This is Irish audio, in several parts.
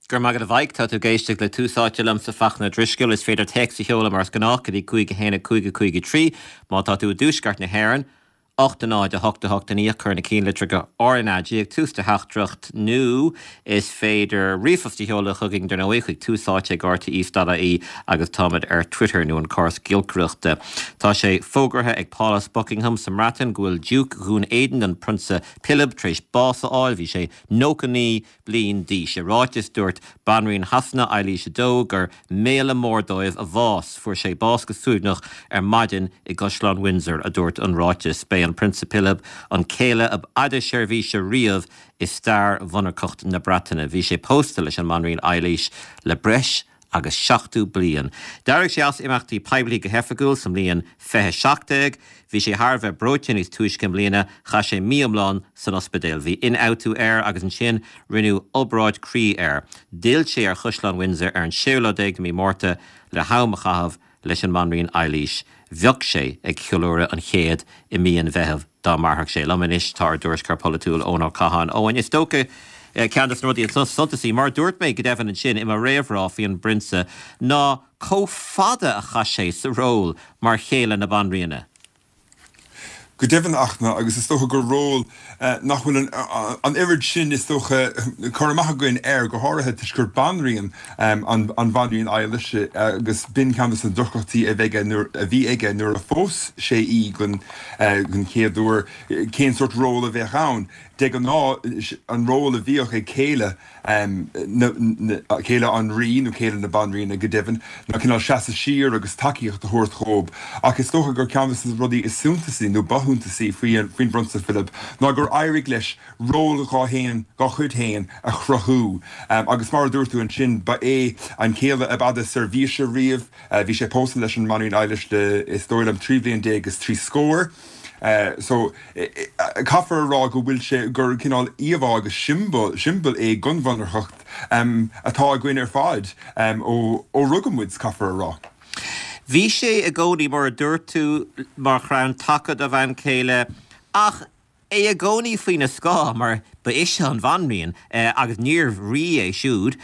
Go raibh maith agat a Mhaidhc. Tá tú ag éisteacht le Tús Áite liomsa Fachtna Ó Drisceoil. Is féidir téacs a sheoladh mar is gnách go dtí 5 1 5 5 3 má tá tú i dtuaisceart na hÉireann. 8 0 8 8 9 cuir na cinnlitreacha RnaG ag tús do theachtaireacht nó is féidir ríomhphost a sheoladh chugainn dar ndóigh chuig túsáite ag rte.ie agus táimid ar Twitter nó an córas giolcaireachta. Tá sé fógartha ag Pálás Buckingham sa mBreatain go bhfuil Diúc Dhún Éideann, an Prionsa Pilib, tar éis bás a fháil. Bhí sé 99 bliain d'aois. I ráiteas, dúirt Banríon Shasana, Eilís 2, gur méala mór dóibh a bhás. Fuair sé bás go suaimhneach ar maidin i gCaisleán Windsor, a dúirt an ráiteas. B'é an Prionsa Pilib an céile ab fhaide seirbhíse riamh i stair mhonarcacht na Breataine. Bhí sé pósta leis an mBanríon Eilís le breis agus 70 bliain. D'éirigh sé as imeachtaí poiblí go hoifigiúil sa mbliain 2017. Bhí sé thar a bheith breoite níos túisce i mbliana, chaith sé mí iomlán san ospidéal. Bhí ionfhabhtú air agus ansin rinneadh obráid croí air. D'fhill sé ar Chaisleán Windsor ar an séú lá déag de mhí Márta le ham a chaitheamh leis an mBanríon Eilís. Bheadh sé ag ceiliúradh an chéid i mí an Mheithimh dá mairfeadh sé. Liom anois tá ár dtuairisceoir polaitiúil Eoin Ó Catháin. Eoin, is dócha ceann de na rudaí is suntasaí, mar a dúirt mé go deimhin ansin i mo réamhrá faoi an bPrionsa, ná chomh fada a chaith sé sa ról mar chéile na Banríona. Go deimhin, a Fhachtna, agus is dócha gur ról nach bhfuil an oiread sin, is dócha, cur amach againn air, go háirithe toisc gur banríon an Bhanríon Eilís agus b'in ceann de na deacrachtaí a bheidh nuair a bhí aige nuair a phós sé í den chéad uair, cén sórt ról a bheadh ann. De ghnáth, an ról a bhíodh ag céile céile an rí, nó céile na banríona go deimhin, ná cineál seasamh siar agus tacaíocht a thabhairt dhób. Ach is dócha gur ceann de na rudaí is suntasaí, nó ba shuntasaí, faoin bPrionsa Philip ná gur éirigh leis ról dhá fhéin, dhá chuid féin a chruthú. Agus mar a dúirt tú ansin, ba é an céile ab fhada seirbhíse riamh. Bhí sé pósta leis an mBanríon Eilís le, is dóigh liom, 13 bhliain is trí scór. So, caithfear a rá go bhfuil sé, gur cineál íomhá agus siombail, siombail é den mhonarcacht atá againn ar fad ó rugadh muid, caithfear a rá. Bhí sé i gcónaí, mar a dúirt tú, mar chrann taca dá bhean chéile ach é i gcónaí faoina scáth mar ba ise an bhanríon agus níorbh rí é siúd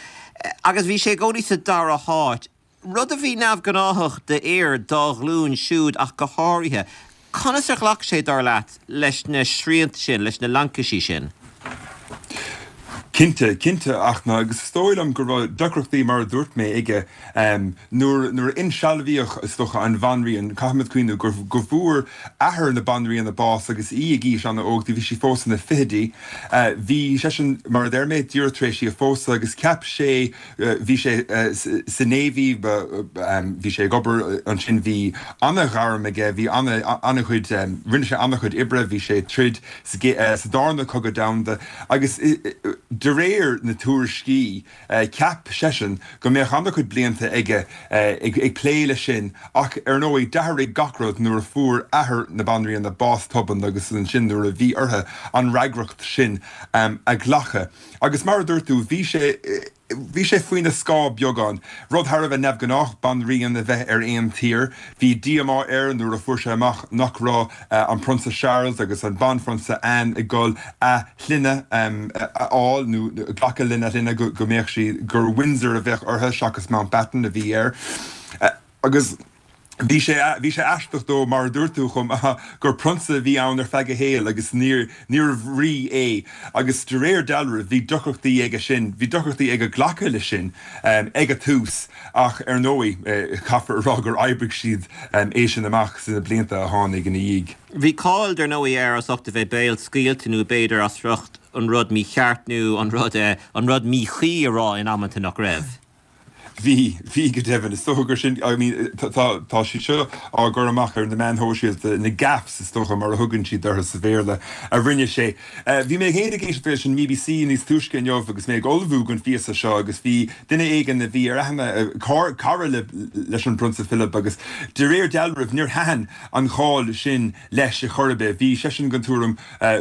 agus bhí sé i gcónaí sa dara háit. Rud a bhí neamhghnáthach d'fhir dá ghlúin siúd ach go háirithe. Conas ar ghlac sé, dar leat, leis na srianta sin, leis na laincisí sin? Cinnte, cinnte, a Fhachtna, agus is dóigh liom go raibh deacrachtaí, mar a dúirt mé, aige nuair, nuair a insealbhaíodh, is dócha, an bhanríon. Caithfimid cuimhniú go, go bhfuair athair na banríona bás agus í ag aois an-óg, bhí sí fós ina fichidí. Bhí seisean, mar a deir mé, díreach tar éis í a phósadh agus cheap sé, Bhí sé sa Navy, bhí sé ag obair ansin, bhí an-ghairm aige, bhí an-chuid, rinne sé an-chuid oibre, bhí sé ag troid sa darna cogadh domhanda agus de réir na tuairiscí cheap seisean go mbeadh an-chuid blianta aige ag plé leis sin ach ar ndóigh d'athraigh gach rud nuair a fuair athair na banríona bás tobann agus ansin nuair a bhí orthu an fhreagracht sin a ghlacadh. Agus mar a dúirt tú, bhí sé, bhí sé faoina scáth beagán. Rud thar a bheith neamhghnách, banríon a bheith ar aon tír. Bhí díomá air nuair a fuair sé amach nach raibh an Prionsa Charles agus an Banphrionsa Anne ag dul a shloinne a fháil nó glacadh lena shloinne, go mbeadh sí, gur Windsor a bheadh orthu seachas Mountbatten a bhí air. Agus. Bhí sé, bhí sé aisteach dó, mar a dúirt tú chomh maith, gur prionsa a bhí ann ar feadh a shaoil agus níor, níorbh rí é. Agus de réir dealraimh, bhí deacrachtaí aige sin, bhí deacrachtaí aige glacadh leis sin ag an tús ach ar ndóigh, caithfear a rá gur oibrigh siad é sin amach sna blianta a tháinig ina dhiaidh. Bhí cáil, dar ndóigh, air as ucht a bheith béalscaoilte nó b'fhéidir as ucht an rud mícheart nó an rud, an rud míchuí a rá in amanta nach raibh. Bhí, bhí go deimhin. Is dócha gur sin, I mean, tá, tá siad seo á gcur amach ar na meáin shóisialta, na gaffes is dócha mar a thugann siad orthu sa Bhéarla, a rinne sé. Bhí mé féin ag éisteacht leis an mBBC níos túisce inniu agus mé ag ullmhú don phíosa seo agus bhí duine éigin a bhí ar aithne, cara le, leis an bPrionsa Philip agus de réir dealraimh níor thaitin an cháil sin leis ar chor ar bith. Bhí seisean den tuairim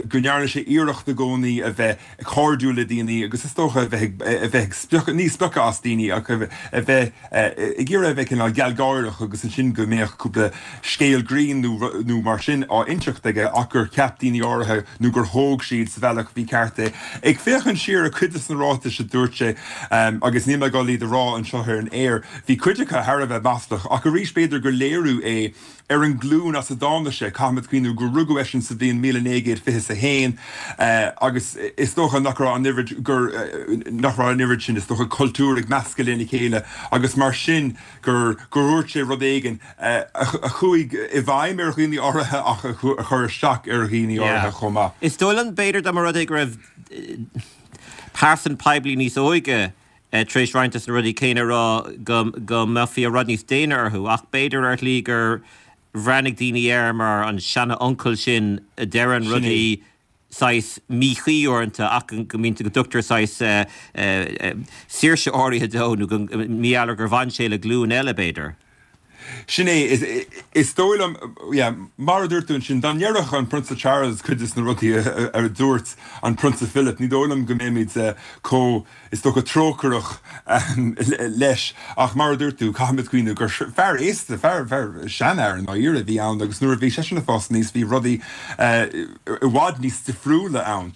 go ndearna sé iarracht i gcónaí a bheith cairdiúil le daoine agus is dócha a bheith ag, a bheith ag spochadh, ní spochadh as daoine ach a bheith. a bheith, ag iarraidh a bheith cineál gealgháireach agus ansin go mbeadh cúpla scéal grinn nó mar sin á inseacht aige ach gur cheap daoine áirithe nó gur thóg siad sa bhealach mhícheart é. Ag féachaint siar ar cuid de na ráitis a dúirt sé, agus níl mé ag dul iad a rá anseo ar an aer, bhí cuid acu thar a bheith maslach ach arís b'fhéidir gur léiriú é ar an nglúin as a dtáinig sé, caithfimid cuimhniú gur rugadh eisean sa bhliain 1921 agus is dócha nach raibh an oiread, gur, nach raibh an oiread sin, is dócha, cultúr ag meascadh lena chéile agus mar sin gur, gur dhúirt sé rud éigin a chuaigh i bhfeidhm ar dhaoine áirithe ach a chuir isteach ar dhaoine áirithe chomh maith. Is dóigh liom, b'fhéidir, dá mba rud é go raibh pearsan poiblí níos óige tar éis roinnt de na rudaí céanna a rá go mbeifí i bhfad níos déine orthu, ach b'fhéidir ar shlí gur bhreathnaigh daoine air mar an seana-uncail sin a deireann rudaí saghas míchuí uaireanta ach go mbíonn, go dtugtar saghas saoirse áirithe dó nó go mb'fhéidir gur bhain sé le glúin eile b'fhéidir. Sin é, is dóigh liom, yeah, mar a dúirt tú ansin, dá ndéarfadh an Prionsa Charles cuid de na rudaí a dúirt an Prionsa Philip, ní dóigh liom go mbeimid chomh, is dócha, trócaireach leis. Ach mar a dúirt tú, caithfimid cuimhniú gur fear aosta, fear, fear, seanfhear i ndáiríre a bhí ann agus nuair a bhí seisean ag fás aníos bhí rudaí i bhfad níos difriúla ann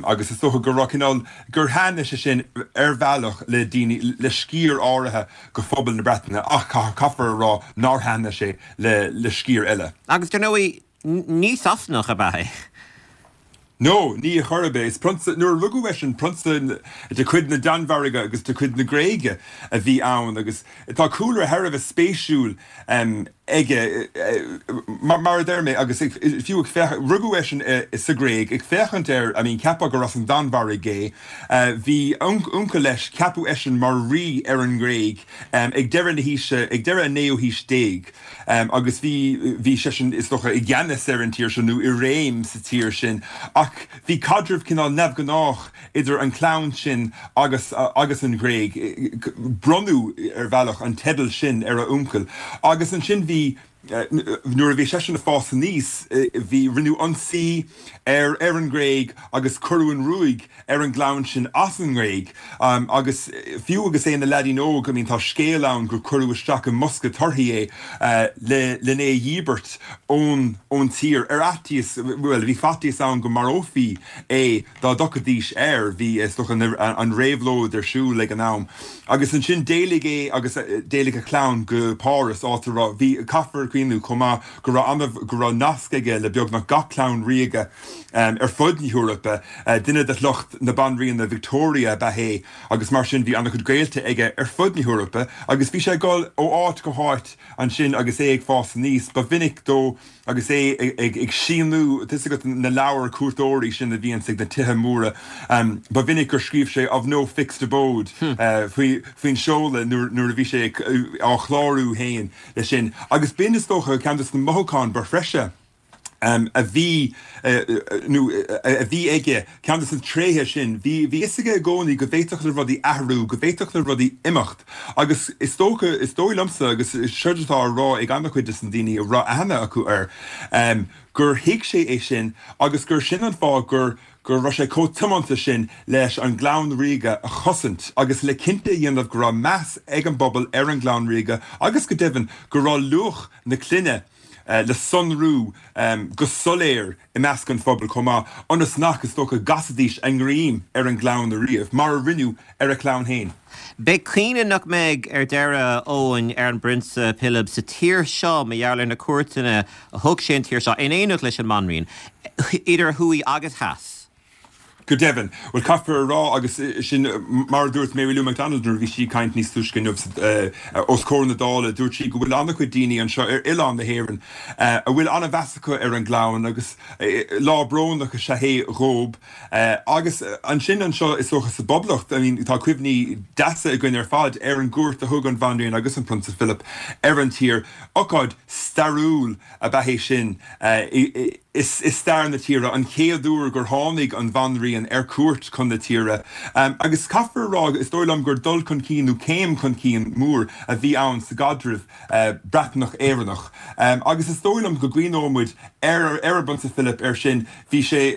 agus is dócha go raibh cineál, gur thaitnigh sé sin ar bhealach le daoine, le sciar áirithe de phobal na Breataine ach caithfear a rá nár thaitnigh sé le sciar eile. Agus dar ndóigh, ní Sasanach ab ea é. No, ní ar chor ar bith. Is prionsa, nuair a rugadh eisean, prionsa de chuid na Danmhairge agus de chuid na Gréige a bhí ann agus tá cúlra thar a bheith spéisiúil aige, mar a deir mé, agus fiú ag féachaint, rugadh eisean sa Ghréig, ag féachaint air, I mean, cheapfá gur as an Danmhairg é. Bhí uncail leis, ceapadh eisean mar rí ar an nGréig ag deireadh na haoise, ag deireadh an naoú haois déag, agus bhí, bhí seisean, is dócha, i gceannas ar an tír seo, nó i réim sa tír sin, ach bhí caidreamh cineál neamhghnách idir an chlann sin agus agus an Ghréig. Bronnadh, ar bhealach, an teideal sin ar a uncail. Agus ansin bhí, nuair a bhí seisean ag fás aníos, bhí, rinneadh ionsaí ar ar an nGréig agus cuireadh an ruaig ar an gclann sin as an nGréig. Agus fiú agus é ina leaidín óg, I mean tá scéal ann gur cuireadh isteach i mbosca torthaí é le len é a dhíbirt ón ón tír ar fhaitíos, bhuel bhí faitíos ann go marófaí é dá dtiocfaidís air. Bhí, is dócha, an réabhlóid ar siúl ag an am. Agus ansin d'éalaigh é agus d'éalaigh a chlann go Páras, áit a raibh, bhí, caithfear cuimhniú chomh maith go raibh ana, go raibh nasc aige le beagnach gach clann ríoga ar fud na hEorpa. Duine de shliocht na Banríona Victoria ab ea é agus mar sin bhí ana-chuid gaolta aige ar fud na hEorpa agus bhí sé ag dul ó áit go háit ansin agus é ag fás aníos. Ba mhinic dó Agus é ag síniú, tá 'fhios agat na leabhair cuairteoirí sin a bhíonns ag na tithe móra, ba mhinic gur scríobh sé of no fixed abode faoin seoladh nuair a bhí sé á chlárú féin leis sin. Agus b'in, is dócha, ceann de na mothúcháin ba threise a bhí nó a bhí aige. Ceann de na tréithe sin, bhí a fhios aige i gcónaí go bhféadfadh le rudaí athrú, go bhféadfadh le rudaí imeacht. Agus is dócha, is dóigh liomsa, agus seod atá á rá ag an-chuid de na daoine a raibh aithne acu air, gur thuig sé é sin agus gur sin an fáth gur go raibh sé chomh tiomanta sin leis an gclann ríoga a chosaint agus le cinnte a dhéanamh go raibh meas ag an bpobal ar an gclann ríoga agus go deimhin go raibh luach na clainne le sonrú go soiléir i measc an phobail chomh maith, ionas nach, is dócha, gcasfaidís a ngreim ar an gclann ariamh, mar a rinneadh ar a chlann féin. Beidh caoineadh nach mbeidh ar deireadh, Eoin, ar an bPrionsa Pilib sa tír seo mar gheall ar na cuairteanna a thug sé an tír seo in éineacht leis an mBanríon, idir thuaidh agus theas. Go deimhin. Bhuel, caithfear a rá, agus sin mar a dúirt Mary Lou McDonald nuair a bhí sí ag caint níos túisce inniu os comhair na Dála, dúirt sí go bhfuil an-chuid daoine anseo ar oileán na hÉireann a bhfuil an-mheas acu ar an gclann agus lá brónach is ea é dhóib. Agus ansin anseo, is dócha, sa bPoblacht, I mean, tá cuimhní deasa againn ar fad ar an gcuairt a thug an Bhanríon agus an Prionsa Philip ar an tír. Ócáid stairiúil ab ea é sin. I stair na tíre, an chéad uair gur tháinig an Bhanríon ar cuairt chun na tíre. Agus caithfear a rá, is dóigh liom gur dul chun cinn nó céim chun cinn mór a bhí ann sa gcaidreamh Breatnach-Éireannach. Agus is dóigh liom go gcuimhneoidh muid ar ar an bPrionsa Philip air sin. Bhí sé,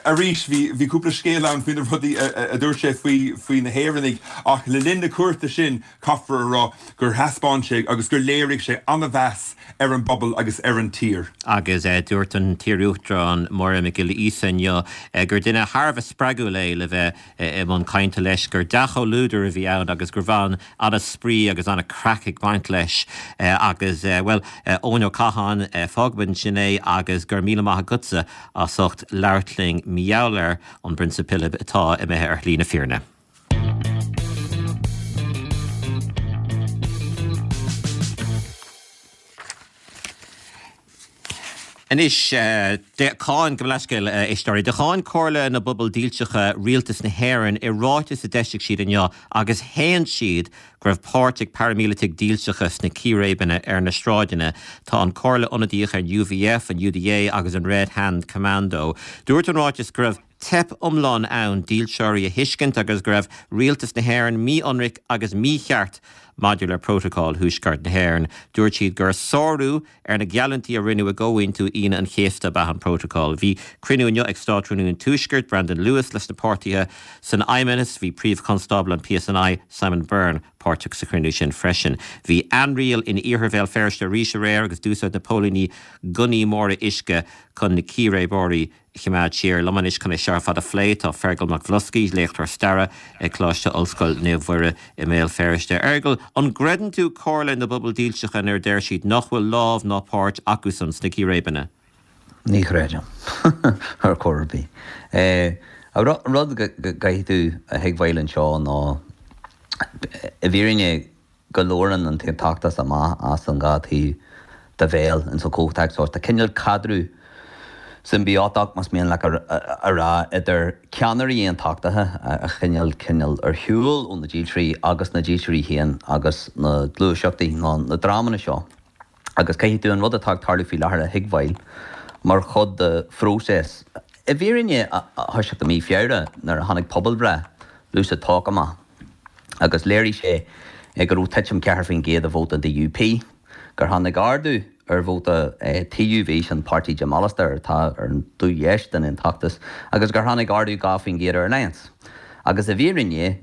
arís, bhí bhí cúpla scéal ann faoi na rudaí a dúirt sé faoi faoi na hÉireannaigh ach le linn na cuairte sin, Caithfear a rá gur thaispeáin sé agus gur léirigh sé an-mheas ar an bpobal agus ar an tír. Agus dúirt an t-iarUachtarán Máire Mhic Giolla Íosa inniu gur duine thar a bheith spreagúil é le bheith i mbun cainte leis, gur dea-chomhluadar a bhí ann agus go raibh an-spraoi agus an-chraic ag baint leis. Agus, bhuel, Eoin Ó Catháin, fágfaimid ansin é agus go raibh míle maith agatsa as ucht labhairt linn mar gheall ar an bPrionsa Pilib atá imithe ar shlí na fírinne. Anois, cháin, gabh mo leithscéal, a éisteoirí, do cháin Comhairle na bPobal Dílseacha rialtas na hÉireann i ráiteas a d'eisigh siad inniu agus shéan siad go raibh páirt ag paraimíleataigh dílseacha sna círéibeanna ar na sráideanna. Tá an Chomhairle ionadaíoch ar an UVF, an UDA agus an Red Hand Commando. Dúirt an ráiteas go raibh. teip iomlán ann dílseoirí a thuiscint agus go raibh rialtas na hÉireann mí-ionraic agus mícheart maidir le Prótocol Thuaisceart na hÉireann. Dúirt siad gur sárú ar na geallúintí a rinneadh i gComhaontú Aoine an Chéasta ab ea an Prótocol. Bhí cruinniú inniu ag Státrúnaí an Tuaiscirt, Brandon Lewis, leis na páirtithe san Fheidhmeannas. Bhí Príomh-Chonstábla an PSNI, Simon Byrne, páirteach sa chruinniú sin freisin. Bhí ainriail in iarthar Bhéal Feirste arís aréir agus d'úsáid na póilíní gunnaí móra uisce chun na círéibeoirí choimeád siar. Liom anois chun é seo ar fad a phlé tá Feargal Mac Bhloscaidh, léachtóir staire ag Coláiste Ollscoile Naomh Mhuire i mBéal Feirste. A Fheargail, an gcreideann tú Comhairle na bPobal Dílseacha nuair a deir siad nach bhfuil lámh ná páirt acusan sna círéibeanna? Ní chreidim, ar chor ar bith. An rud go gcaithfidh tú a thuigbheáil anseo ná, i bhfírinne, go labhrann an t-aontachtas amach as an dhá taobh de bhéal ins an chomhthéacs seo. Tá cineál caidreamh simbiótach, más mian leat a rá, idir ceannairí aontachtaithe a choinneáil cineál ar shiúl ó na dílseoirí agus na dílseoirí féin agus na gluaiseachtaí nó na dreamanna seo. Agus caithfidh tú an rud atá ag tarlú faoi láthair a thuigbheáil mar chuid de phróiseas. I bhfírinne, a thoiseacht i mí Feabhra nuair a tháinig pobalbhreith LucidTalk amach, agus léirigh sé go raibh titim 4% i vóta an DUP, gur tháinig ardú ar vóta TUV, sin páirtí Jim Allister atá ar an taobh dheis den aontachtas, agus gur tháinig ardú 2% ar Alliance. Agus i bhfírinne,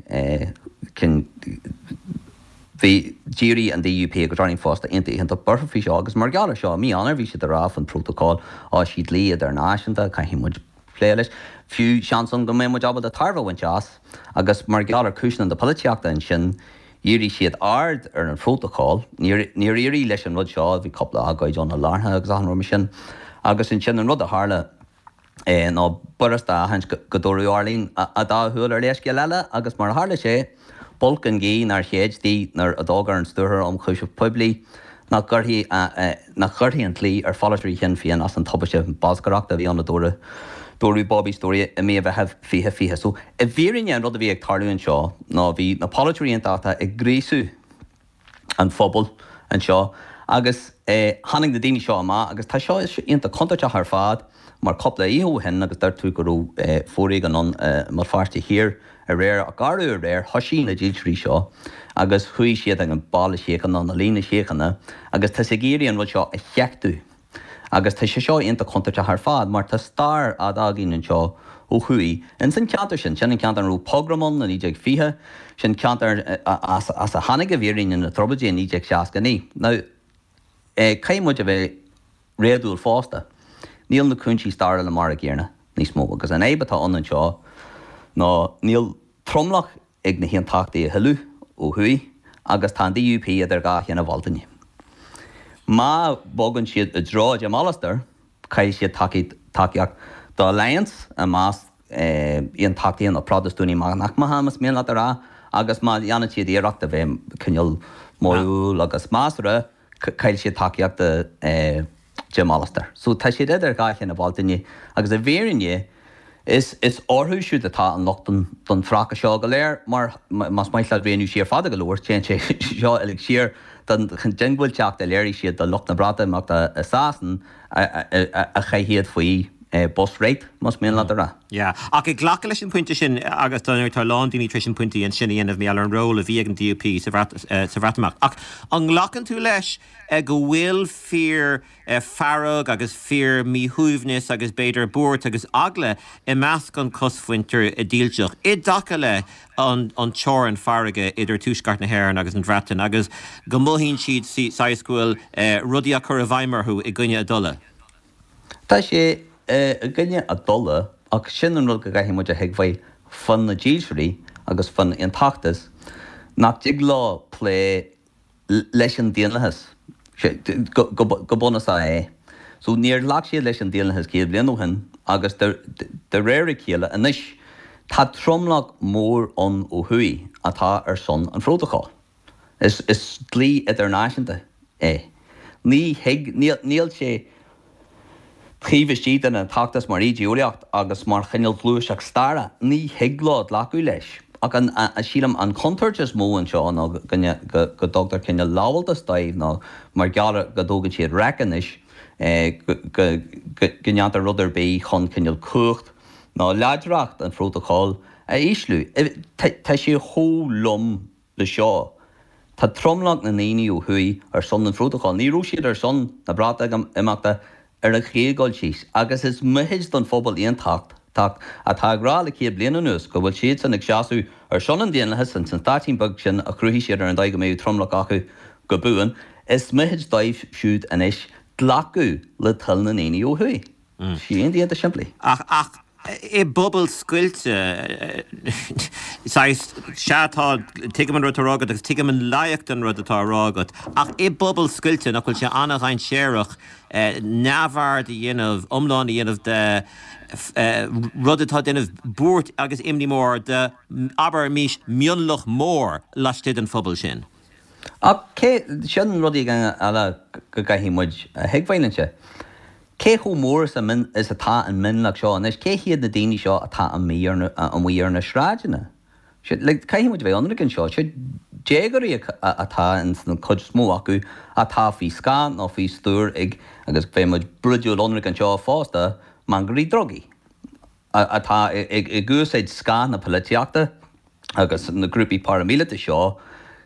bhí, d'éirigh an DUP agus Arlene Foster iontach iontach buartha faoi seo agus mar gheall ar seo, i mí Eanáir bhí siad ag rá faoin prótocol, á, sé dlí idirnáisiúnta, caithfidh muid. plé leis. Fiú, seans ann go mbeidh muid ábalta tairbhe a bhaint as, agus mar gheall ar chúiseanna na polaitíochta ansin, dhírigh siad aird ar an phrótocol. Níor, níor éirigh leis an rud seo, bhí cúpla agóid ann i lártha agus achan rud mar sin. Agus ansin an rud a tharla ná b'fhurasta a aithint go, go dtabharfadh Arlene a dá shúil ar leithscéal eile agus mar a tharla sé, b'olc an ghaoth nár shéid di nuair a d'fhógair an Stiúrthóir Ionchúiseamh Poiblí nach gcuirfí nach gcuirfí an dlí ar pholaiteoirí Shinn Féin as an tubaiste bholscaireachta a bhí ann a dúradh dúradh Bobby Storey i mí an Mheithimh 2020. So, i bhfírinne an rud a bhí ag tarlú anseo ná bhí na polaiteoirí aontachtaithe ag gríosú an phobail anseo agus tháinig na daoine seo amach agus tá seo iontach contúirteach ar fad mar cúpla oíche ó shin agus dúirt tú go raibh foréigean ann i mBéal Feirste Thiar aréir ach arú aréir thoisigh na dílseoirí seo agus chuaigh siad ag an Baile Síochána nó Líne Síochána agus tá siad ag iarraidh an rud seo a sheachtú. Agus tá sé seo iontach contúirteach ar fad mar tá stair fhada againn anseo ó thuaidh ins an cheantar sin. Sin an ceantar ina raibh pogrom ann i 1920, sin ceantar as a tháinig i bhfírinne na trioblóidí i 1969. Now, caithfidh muid a bheith réadúil fosta. Níl na cúinsí stairiúla mar a gcéanna níos mó agus an fhadhb atá ann anseo ná níl tromlach ag na hAontachtaithe a thuilleadh ó thuaidh agus tá an DUP idir dhá thine Bhealtaine. Má bhogann siad i dtreo Jim Allister, caillfidh siad tacaíocht do Alliance i measc aontachtaithe nó Protastúnaigh meánaicmeacha, más mian leat a rá, agus má dhéanann siad iarracht a bheith cineál modhúil agus measartha, caillfidh siad tacaíocht do Jim Allister. So tá siad idir dhá thine Bhealtaine agus i bhfírinne is is orthu siúd atá an locht don don pheaca seo go léir mar más maith leat rianú siar fada go leor téann sé seo uilig siar. don diongbháilteacht a léirigh siad do lucht na Breatimeachta i Sasain a chaith iad faoi bus right, más mian leat a rá. Yeah. Ach ag glacadh leis an bpointe sin, agus dar ndóigh tá a lán daoine tar éis an pointe sin a dhéanamh, mar gheall ar an ról a bhí ag an DUP sa Bhreatimeacht. Ach an nglacann tú leis go bhfuil fíor fearg agus fíor míshuaimhneas agus b'fhéidir buairt agus eagla i measc an chosmhuintir dílseach i dtaca le an teorainn farraige idir Tuaisceart na hÉireann agus an Bhreatain agus go mothaíonn siad saghas go bhfuil rudaí á cur i bhfeidhm orthu i gcoinne a dtola. Tá sé i gcoinne a dtola ach sin an rud go gcaithfidh muid a thuigbheáil fá na dílseoirí agus fán aontachtas, nach dtig leo plé leis an daonlathas. Go bunúsach é. So níor ghlac siad leis an daonlathas 100 bliain ó shin agus de réir a chéile anois tá tromlach mór ann ó thuaidh atá ar son an phrótacail. Is dlí idirnáisiúnta é. Ní thig, níl sé taobh istigh den aontachtas mar ídé-eolaíocht agus mar chineál gluaiseacht staire, ní thig leo glacadh leis. Ach an, sílim, an chontúirt is mó anseo ná go dtugtar cineál lamháltas dóibh nó mar gheall ar go dtógann siad raic anois go ndéantar rud ar bith chun cineál cumhacht nó láidreacht an phrótacail a ísliú. Tá sé chomh lom le seo. Tá tromlach na ndaoine ó thuaidh ar son an phrótacail. Ní raibh siad ar son na Breatimeachta ar an chéad dul síos agus is mithid don phobal aontachtach atá ag rá le 100 bliain anuas go bhfuil siadsan ag seasamh ar son an daonlathais ins an stáitín beag sin a chruthaigh siad ar an dóigh go mbeadh tromlach acu go buan. Is mithid dóibh siúd anois glacadh le toil na ndaoine ó thuaidh. Sé iontach simplí. Ach, ach i bpobal scoilte, saghas, sea tá, tuigim an rud atá á rá agat agus tuigim an loighic den rud atá á rá agat, ach i bpobal scoilte nach bhfuil sé an-dhainséarach neamhaird a dhéanamh, iomlán a dhéanamh de rud atá ag déanamh buairt agus imní mór de, abraimis, mionlach mór laistigh den phobal sin? Ach cé, sin rud éigin eile go gcaithfidh muid a thuigbheáil anseo. Cé chomh mór is is atá an mionlach seo anois? Cé hiad na daoine seo atá amuigh ar na, amuigh ar na sráideanna? Like, caithfidh muid a bheith ionraic anseo. Seo déagóirí atá ins an chuid is mó acu atá faoi scáth nó faoi stiúir ag, agus beidh muid brúidiúil ionraic anseo fosta, mangairí drugaí. atá ag úsáid scáth na polaitíochta agus na grúpaí paraimíleata seo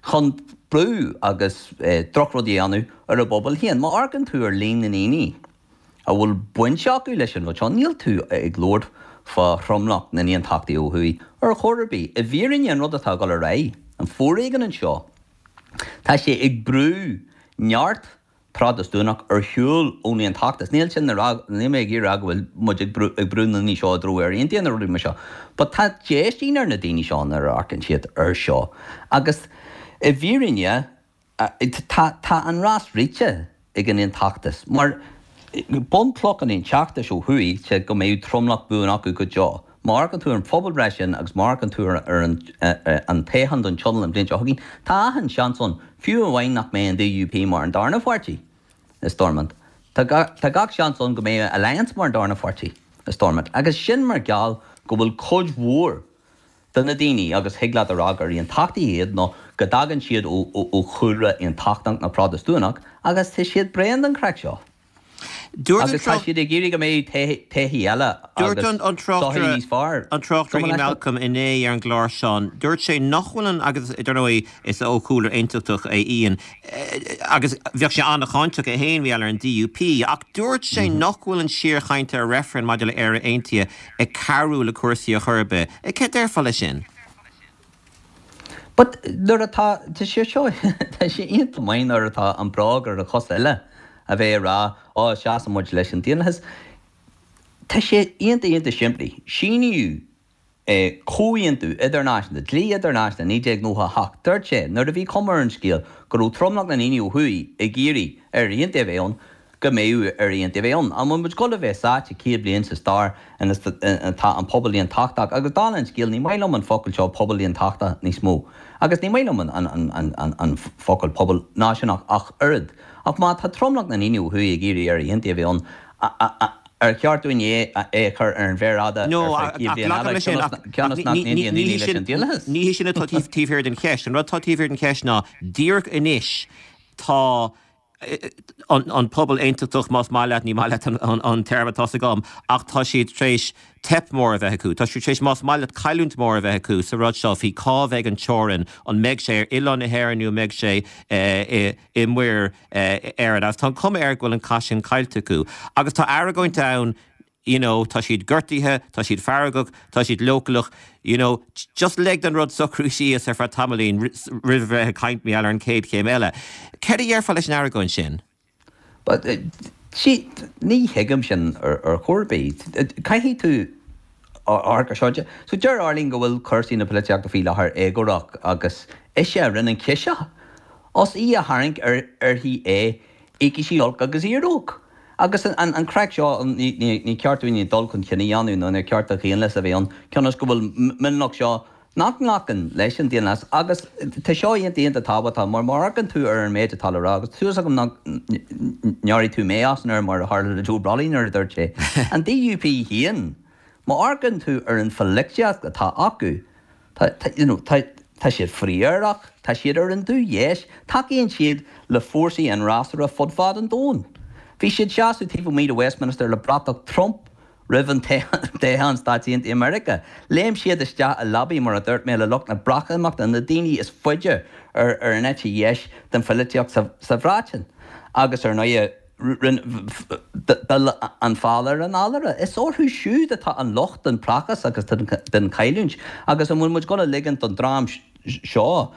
chun brú agus drochrudaí a dhéanamh ar a bpobal féin. Má amharcann tú ar líon na ndaoine a bhfuil baint acu leis an rud seo, níl tú ag labhairt fá thromlach na n-aontachtaithe ó thuaidh ar chor ar bith. I bhfírinne, an rud atá ag dul ar aghaidh, an foréigean anseo, tá sé ag brú neart Protastúnach ar shiúl ón Aontachtas. Níl sin a rá, níl mé ag iarraidh a rá go bhfuil muid ag brú, ag brú na ndaoine seo i dtreo Éire Aontaithe nó rudaí mar seo, but tá déistín ar na daoine seo nuair a amharcann siad ar seo. Agus i bhfírinne, tá, tá an rás rite ag an Aontachtas mar bunchloch an Aontachtais ó thuaidh sé go mbeadh tromlach buan acu go deo. Má amharcann tú ar an phobalbhreith sin agus má amharcann tú ar an toghchán don Tionól an bhliain seo chugainn, tá achan seans ann, fiú amháin nach mbeidh an DUP mar an darna pháirtí i Stormont. Tá gach seans ann go mbeidh Alliance mar an darna pháirtí i Stormont agus sin mar gheall go bhfuil cuid mhór de na daoine, agus thig leat a rá gur aontachtaithe iad nó go dtagann siad ó chúlra aontachtach nó Protastúnach agus tá siad bréan den chraic seo. Dúirt an Agus tá siad ag iarraidh go mbeidh todhchaí eile Dúirt agus an an sochaí tráchtaire níos fearr. an tráchtaire Cuma Ian leis. Malcolm inné ar an gclár Seán, dúirt sé nach bhfuil an agus dar ndóigh is ó chúlra aontachtach é Ian agus bheadh sé an-cháinteach é féin mar gheall ar an DUP ach dúirt sé nach bhfuil an síorchaint ar reifreann maidir le Éire Aontaithe ag cabhrú le cúrsaí ar chor ar bith. Céard a déarfá leis sin? But nuair atá, tá sé seo, tá sé iontach maith nuair atá an bróg ar an chos eile a bheith ag rá, ó, seasann muid leis an daonlathas. Tá sé iontach, iontach simplí. Síníodh comhaontú idirnáisiúnta, dlí idirnáisiúnta 1998. Dúirt sé, nuair a bhí cuma ar an scéal go raibh tromlach na ndaoine ó thuaidh ag iarraidh Éire Aontaithe a bheith ann, go mbeadh Éire Aontaithe a bheith ann. An bhfuil muid ag dul a bheith sáite 100 bliain sa stair ina atá an pobal aontachtach, agus dála an scéil, ní maith liom an focal seo pobal aontachtach níos mó, agus ní maith liom an focal pobal náisiúnach ach oiread. Ach má tá tromlach na ndaoine ó thuaidh ag iarraidh Éire Aontaithe a bheith ann, ar cheart dúinn é a chur ar an mhéar fhada No, ar feadh 100 ach bliain glacaim eile, leis sin, ach cionn is nach n-aontaíonn ní daoine hé leis sin an daonlathas? ní hé sin atá taobh thiar den cheist. An rud atá taobh thiar den cheist ná, díreach anois, Tá an pobal aontachtach, más maith leat, ní maith leat an téarma, tá's agam, ach tá siad tar éis teip mór a bheith acu. Tá siad tar éis, más maith leat, cailliúint mór a bheith acu sa rud seo faoi cá bheidh an teorainn, an mbeidh sé ar oileán na hÉireann nó an mbeidh sé i Muir Éireann. Agus tá an cuma air go bhfuil an cath sin caillte acu. Agus tá argóint ann you know, tá siad gortaithe, tá siad feargach, tá siad leochaileach, you know, just lig don rud socrú síos ar feadh tamaillín roimh a bheith ag caint mar gheall ar an chéad chéim eile. Céard a dhéarfá leis an argóint sin? But, see, ní thuigim sin ar chor ar bith. Caithfidh tú amharc ar seo. So deir Arlene go bhfuil cúrsaí na polaitíochta faoi láthair éagórach agus ise a rinne an ciseach. Os í a tharraing uirthi é Íocfaidh sí olc agus iaróg. Agus an craic seo, ní ceart dúinne dul chun cinn a dhéanamh nó níor ceart do dhaonlathas a bheith ann, cionn is go bhfuil mionlach seo nach nglacann leis an daonlathas. Agus tá seo iontach iontach tábhachtach mar má amharcann tú ar an méid atá le rá, agus tá súil agam nach ngearrfaidh tú mé as an aer mar a tharla le Joe Brolly nuair a dúirt sé, an DUP féin, má amharcann tú ar an pholaitíocht atá acu, Tá, you know, tá, tá siad frith-aerach, tá siad ar an dubhdheis, tacaíonn siad le fórsaí an fhreasúra fud fad an domhain. Bhí siad seasamh taobh amuigh de Westminster le bratach Trump roimh an toghchán Stáit Aontaithe Meiriceá. Léim siad isteach i leabaidh, mar a dúirt mé, le lucht na Breatimeachta, na daoine is faide ar ar an eite dheis den pholaitíocht sa, sa Bhreatain. Agus ar ndóighe, D'fhill an feall ar an fheallaire. Is orthu siúd atá an locht den praghas agus den chailliúint. Agus an bhfuil muid ag dul a ligint don dream seo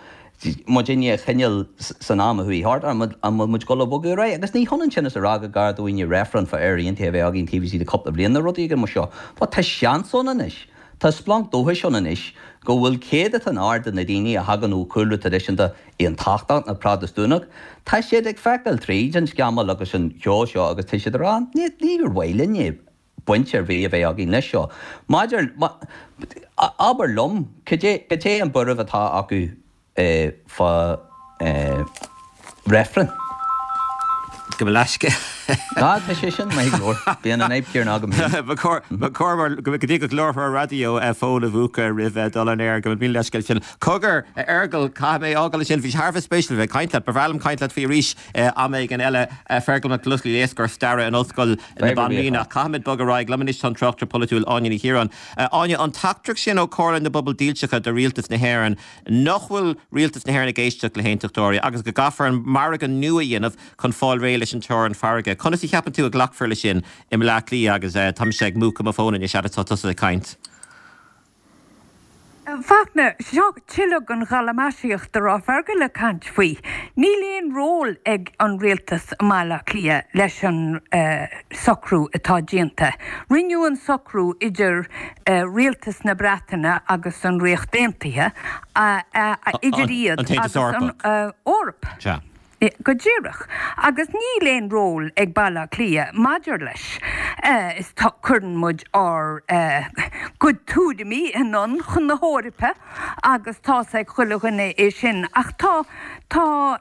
muidinne a choinneáil san am a chuaigh thart? An bhfuil muid ag dul a bhogadh ar aghaidh? Agus ní hionann sin is a rá gur gá dúinne reifreann fá Éire Aontaithe a bheith againn taobh istigh de cúpla bliain nó rud éigin mar seo. But tá seans ann anois. Tá splanc dóchais ann anois go bhfuil céadatán ard de na daoine a thagann ó chúlra traidisiúnta aontachtach nó Protastúnach, tá siad ag feiceáil tríd an scamall agus an cheo seo agus tá siad ag rá, níor mhaith linn é, baint ar bith a bheith againn leis seo. Maidir, abair liom, cad é an buaireamh atá acu fá reifreann? Gabh mo leithscéal. Tá, tá sé sin maith go leor. Bíonn an fhadhb chéanna agam féin. Ba chóir, ba chóir mar, go dtí go gclárfar an raidió fón a mhúchadh roimh dul on air. Gabh mo leithscéal sin. Cogar, a Fheargail, caithfidh mé fhágáil ansin. Bhí sé thar a bheith spéisiúil a bheith ag caint leat. Ba bhreá liom caint leat faoi arís am éigin eile. Fergal Mac Lochlainn, éascóir staire in Ollscoil na Banríona. Ach caithfimid bogadh ar aghaidh. Liom anois tá an tráchtaire polaitiúil Áine Ní Chiaráin. Áine, an teachtaireacht sin ó Chomhairle na bPobal Dílseacha do Rialtas na hÉireann, nach bhfuil Rialtas na hÉireann ag éisteacht le haontachtóirí agus go gcaithfear an margadh nua a dhéanamh chun fáil réidh leis an teorainn farraige. Conas a cheapann tú a ghlacfar leis sin i mBleá Cliath agus tá mise ag múchadh mo fón anois fhad atá tusa ag caint. Fachtna, seo tuilleadh den ghalamaisíocht a raibh Fergal ag caint faoi. Níl aon ról ag an rialtas i mBaile Átha Cliath leis an socrú atá déanta. Rinneadh an socrú idir rialtas na Breataine agus an Ríocht Aontaithe, idir iad agus an Eoraip. Go díreach. Agus níl aon ról ag Baile Átha Cliath maidir leis. Is tá, cuireann muid ár gcuid tuairimí anonn chun na hEorpa agus tá's ag chuile dhuine é sin. Ach tá, tá,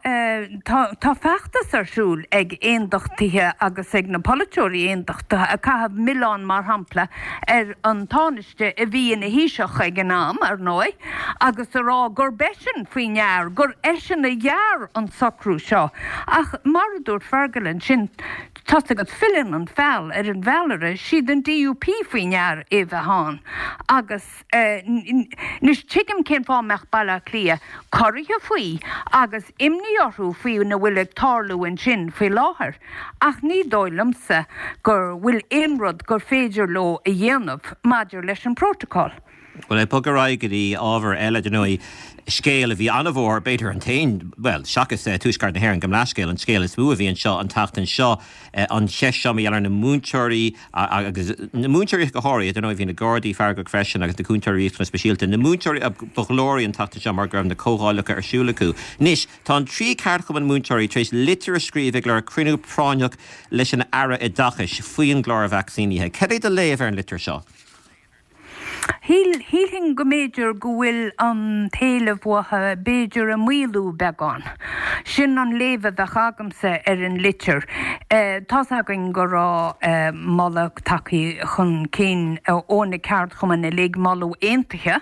tá, tá feachtas ar siúl ag aondachtaithe agus ag na polaiteoirí aondachtaithe ag caitheamh milleán mar shampla ar an Tánaiste, a bhí ina Thaoiseach ag an am, ar ndóigh, agus a rá gurb eisean faoi ndear, gur eisean a ghearr an socrú seo. Ach mar a dúirt Fergal ansin, tá's agat, filleann an feall ar an bhfeallaire, siad an DUP faoi ndear é bheith ann. Agus anois tuigim cén fáth a mbeadh Baile Átha Cliath corraithe faoi agus imní orthu faoina bhfuil ag tarlú ansin faoi láthair. Ach ní dóigh liomsa go bhfuil aon rud gur féidir leo a dhéanamh maidir leis an bprótacál. Bhuel, ag bogadh ar aghaidh go dtí ábhar eile, dar ndóigh, scéal a bhí an-mhór, b'fhéidir an t-aon, bhuel, seachas Tuaisceart na hÉireann, gabh mo leithscéal, an scéal is mó a bhí anseo an tseachtain seo, an cheist seo mar gheall ar na múinteoirí agus na múinteoirí go háirithe, dar ndóigh bhí na Gardaí feargach freisin agus na cúntóirí riachtanas speisialta, na múinteoirí a ba ghlóraí an tseachtain seo mar go raibh na comhdhálacha ar siúl acu. Anois, Tá an 3 ceardchumann múinteoirí tar éis litir a scríobh ag lorg cruinniú práinneach leis an Aire Oideachais faoin gclár vacsaínithe. Cad é do léamh ar an litir seo? Shíl, shílfinn go mb'fhéidir go bhfuil an t-éileamh uathu b'fhéidir ag maolú beagán. Sin an léamh a bheadh agamsa ar an litir. Tá's againn go raibh moladh tagtha chun cinn ó na ceardchumainn uilig, moladh aontaithe,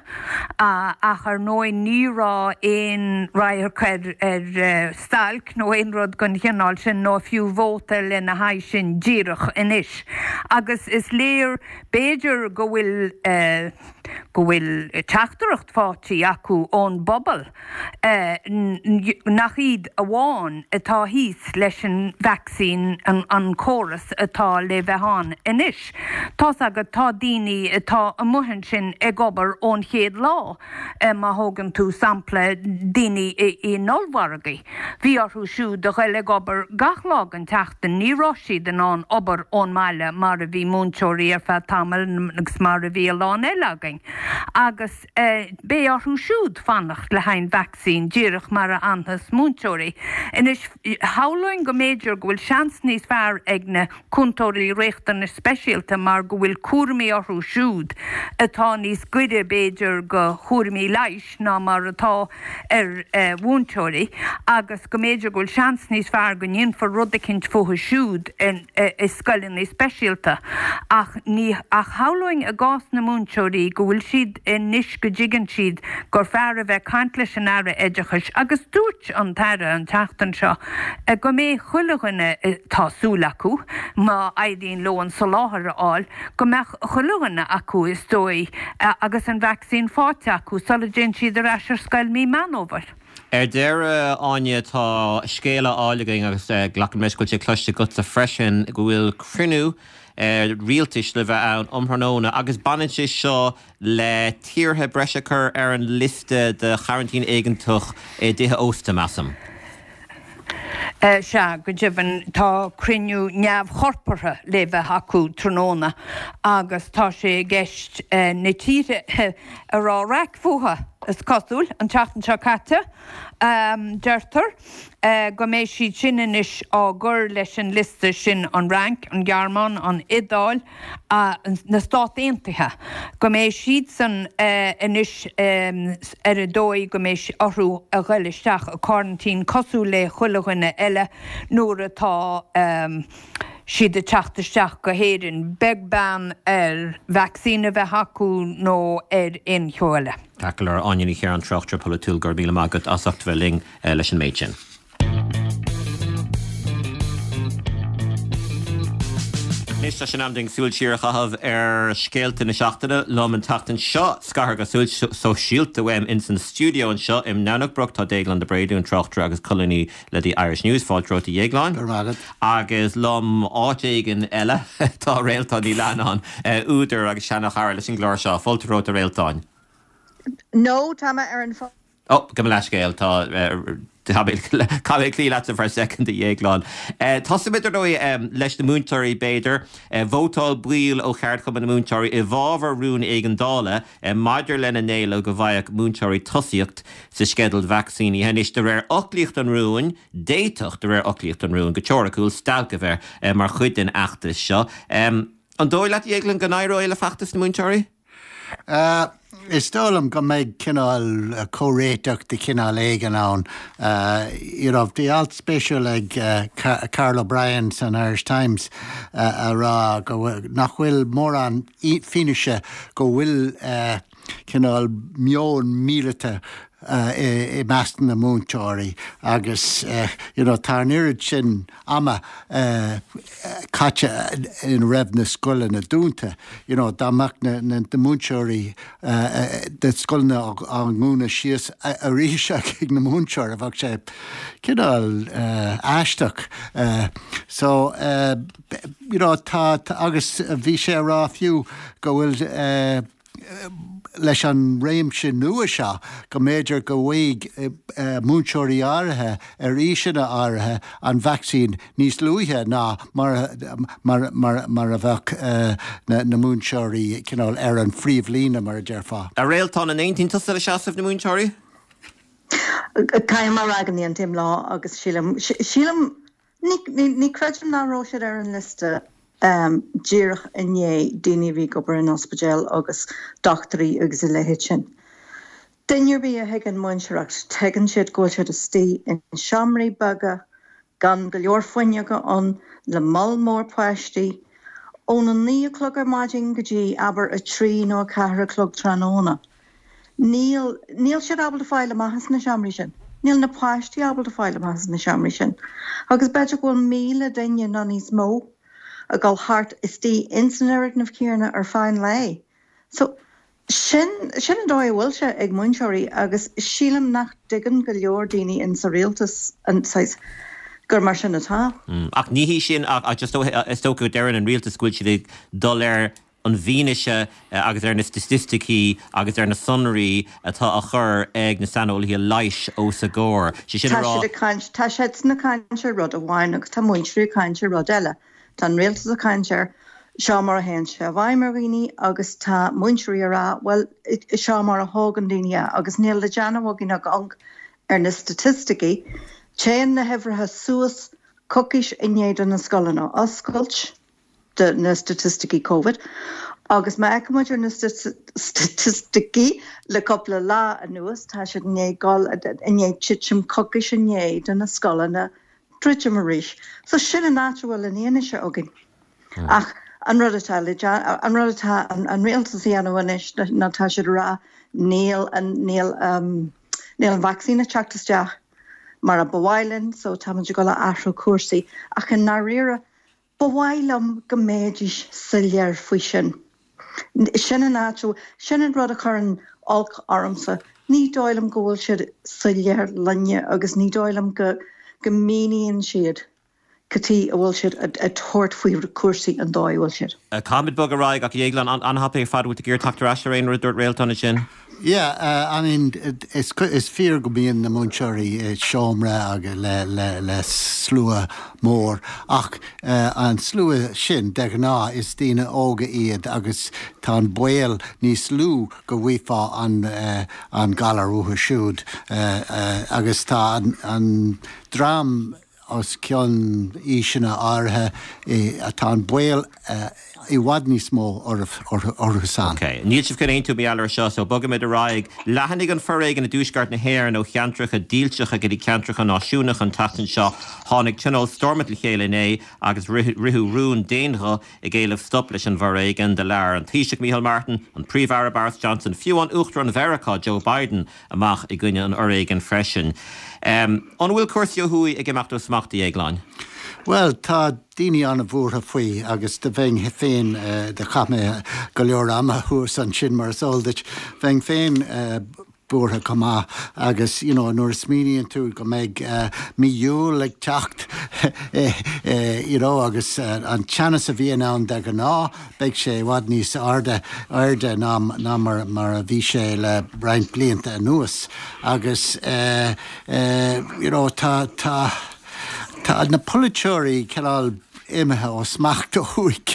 ach ar ndóigh ní raibh aon radharc ar stailc nó aon rud den chineál sin nó fiú vóta lena haghaidh sin díreach anois. Agus is léir, b'fhéidir, go bhfuil go bhfuil teachtaireacht faighte acu ón bpobal nach iad amháin atá thíos leis an vacsaín, an córas atá le bheith ann anois. Tá's agat, tá daoine atá amuigh ansin ag obair ón chéad lá, má thógann tú sampla daoine in ollmhargaí. Bhí orthu siúd a ghoil ag obair gach lá den tseachtain, ní raibh siad in ann obair ón mbaile mar a bhí múinteoirí ar feadh tamaill agus mar a bhí a lán eile againn. Agus beidh orthu siúd fanacht le haghaidh an vacsaín, díreach mar a fhanfas múinteoirí. Anois, shamhlóinn go mb'fhéidir go bhfuil seans níos fearr ag na cúntóirí riachtanais speisialta mar go bhfuil cúraimí orthu siúd atá níos gaire b'fhéidir go chúraimí leighis ná mar atá ar mhúinteoirí agus go mb'fhéidir go bhfuil seans níos fearr go ndéanfar rud eicínt fúthu siúd i scoileanna speisialta. Ach ní ach shamhlóinn i gcás na múinteoirí go bhfuil siad anois go dtuigeann siad gur fearr a bheith caint leis an Aire Oideachais agus dúirt an tAire an tseachtain seo go mbeidh chuile dhuine, tá súil acu, má éiríonn leo an soláthar a fháil, go mbeadh chuile dhuine acu is dóigh agus an vacsaín faighte acu sula dtéann siad ar ais ar scoil mí Meán Fhómhair. Ar deireadh, Áine, tá scéal á fháil againn agus glacaim leis go bhfuil sé cloiste agatsa freisin go bhfuil cruinniú rialtais le bheith ann um thráthnóna agus baineann sé seo le tíortha breise a chur ar an liosta de choraintín éigeantach i dtithe ósta, measaim. Sea, go deimhin, tá cruinniú neamhchorpartha le bheith acu tráthnóna agus tá sé i gceist na tíortha a raibh raic fúthu, is cosúil, an tseachtain seo caite, deirtear. go mbeidh siad sin anois á gcur leis an liosta sin, an Fhrainc, an Ghearmáin, an Iodáil, na Stáit Aontaithe, go mbeidh siadsan anois ar an dóigh go mbeidh orthu a ghoil isteach i gcoraintín cosúil le chuile dhuine eile nuair atá siad ag teacht isteach go hÉirinn, beag beann ar vacsaín a bheith acu nó ar aon cheo eile. Ceart go leor, Áine Ní Chiaráin, tráchtaire polaitiúil, go raibh míle maith agat as ucht a bheith linn leis an méid sin. Anois tá sé in am dúinn súil siar a chaitheamh ar scéalta na seachtaine. Liom an tseachtain seo, scartha go sóisialta uaim ins an stiúideo anseo i nDomhnach Broc tá Déaglán De Bréadún, tráchtaire agus colúnaí le The Irish News. Fáilte romhat a Dhéagláin. Go raibh maith agat. Agus liom áit éigin eile tá Réaltán Ní Leannáin, údar agus seana-chara leis an gclár seo. Fáilte romhat a Réaltáin. No, tá mé ar an fón. Ó, gabh mo leithscéal, tá, caithfidh mé cloí leatsa for a second, a Dhéagláin. Tosóimid, ar ndóigh, leis na múinteoirí, b'fhéidir. Vótáil baill ó Cheardchumann na Múinteoirí i bhfabhar rún éigeandála maidir lena n-éileamh go bhfaigheadh múinteoirí tosaíocht sa sceideal vacsaínithe. Anois, de réir fhoclaíocht an rúin, d'fhéadfadh, de réir fhoclaíocht an rúin, go teoiriciúil, stailc a bheith mar chuid den fheachtas seo. An dóigh leat, a Dhéagláin, go n-éireoidh le feachtas na múinteoirí? Is dóigh liom go mbeidh cineál comhréiteach de chineál éigin ann. You know, bhí alt spéisiúil ag Karl O'Brien san Irish Times a rá go bhfuil, nach bhfuil mórán fianaise go bhfuil cineál meon míleata i measc na múinteoirí agus you know tá an oiread sin ama caite ina raibh na scoileanna dúnta you know dá mbeadh na na múinteoirí na scoileanna á ndúnadh síos arís ag na múinteoirí bheadh sé cineál aisteach so you know tá agus bhí sé a rá fiú go bhfuil leis an réimse nua seo go mb'fhéidir go bhfaighidh múinteoirí áirithe ar aoiseanna áirithe an vacsaín níos luaithe ná mar a bheadh na múinteoirí cineál ar an phríomhlíne, mar a déarfá. A Réaltán, an aontaíonn tusa le seasamh na múinteoirí? Caithfidh mé a rá go n-aontaím leo agus sílim, sílim, Ní creidim nach raibh siad ar an liosta díreach i ndiaidh daoine a bhí ag obair in ospidéal agus dochtúirí agus a leithéid sin. Duine ar bith a thuigeann múinteoireacht, tuigeann siad go bhfuil siad istigh in seomraí beaga, gan go leor fuinneoga ann, le moll mór páistí, óna 9 a chlog ar maidin go dtí, abair, 3 nó 4 a chlog tráthnóna. Níl, níl siad ábalta fáil amach as na seomraí sin. Níl na páistí ábalta fáil amach as na seomraí sin. Agus b'fhéidir go bhfuil 1,000 duine nó níos mó ag dul thart istigh ins an fhoirgneamh céanna ar feadh an lae. So, sin, sin an dóigh a bhfuil sé ag múinteoirí agus sílim nach dtuigeann go leor daoine in sa rialtas an saghas gur mar sin atá. Ach ní hí sin ach just is dócha go deireann an rialtas go bhfuil siad ag dul ar an bhfianaise agus ar na staitisticí agus ar na sonraí atá á chur ag na saineolaithe leighis os a gcomhair. Sé sin a Tá rá. siad ag caint, tá siadsan ag caint ar rud amháin agus tá múinteoirí ag caint ar rud eile. Tá an rialtas ag caint ar seo mar a théann sé i bhfeidhm ar dhaoine agus tá múinteoirí ag rá bhuel seo mar a thógann daoine é agus níl le déanamh againn ach amharc ar na staitisticí. Téann na huimhreacha suas coicís i ndiaidh do na scoileanna oscailt. de na staitisticí Covid agus má fheiceann muid ar na staitisticí le cúpla lá anuas, tá siad i ndiaidh dul, i ndiaidh titim coicís i ndiaidh do na scoileanna druidim arís. So sin an áit a bhfuil an fhianaise againn. Ach an rud atá le, an rud atá an rialtas a dhéanamh anois ná tá siad ag rá níl an, níl, níl an vacsaín ag teacht isteach mar a ba mhaith linn so táimid ag dul a athrú cúrsaí. Ach i ndáiríre, Ba mhaith liom go mbeidís soiléir faoi sin. Sin an áit, sin an rud a chuireann olc ormsa. Ní dóigh liom go bhfuil siad soiléir linne agus ní dóigh liom go go míníonn siad cad chuige a bhfuil siad ag tabhairt faoi cúrsaí an dóigh a bhfuil siad. Caithfimid bogadh ar aghaidh ach a Dhéagláin, an-thapaidh ar fad, bhfuil tú ag iarraidh teacht ar ais ar aon rud a dúirt Réaltán ansin? Yeah, I mean, is fíor go mbíonn na múinteoirí i seomra agus le, le, le slua mór ach an slua sin, de ghnáth, is daoine óga iad agus tá an baol níos lú go bhfaighfeá an, an galar uathu siúd agus tá an, an dream os cionn aoiseanna áirithe, tá an baol i bhfad níos mó orthu-san. Ok. Níl sibh chun aontú mar gheall air seo, so bogfaimid ar aghaidh. Leathnaigh an foréigean i dtuaisceart na hÉireann ó cheantracha dílseacha go dtí ceantracha náisiúnacha an tseachtain seo. Tháinig Tionól Stormont le chéile inné agus ritheadh rún d'aon ghuth ag éileamh stop leis an bhforéigean. Do labhair an Taoiseach Micheál Martin, an Príomh-Aire Boris Johnson, fiú an Uachtarán Mheiriceá Joe Biden amach i gcoinne an fhoréigin freisin. An bhfuil cúrsaí ó thuaidh ag imeacht ó smacht, a Dhéagláin? Bhuel, tá daoine an-bhuartha faoi agus do bheinn féin, do chaith mé go leor ama thuas ansin mar is eol duit, bheinn féin buartha chomh maith agus you know nuair a smaoiníonn tú go mbeidh mí Iúil ag teacht you know agus an teannas a bhíonn ann de ghnáth, Beidh sé i bhfad níos airde airde ná ná mar mar a bhí sé le roinnt blianta anuas agus eh eh you know tá tá tá na polaiteoirí cineál imithe ó smacht ó thuaidh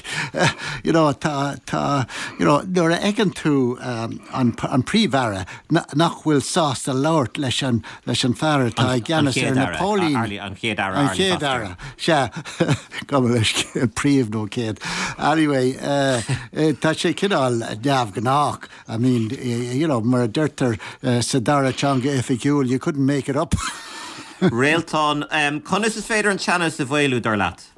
you know tá tá you know nuair a fheiceann tú an an príomh-aire nach bhfuil sásta labhairt leis an leis an fear atá i gceannas ar na póilíní. An Chéad Aire, An Chéad Aire, sea, gabh mo leithscéal, príomh nó céad. Anyway, tá sé cineál neamhghnách, I mean, you know, mar a deirtear sa dara teanga oifigiúil, you couldn't make it up. Réaltán, conas is féidir an teannas a mhaolú, dar leat?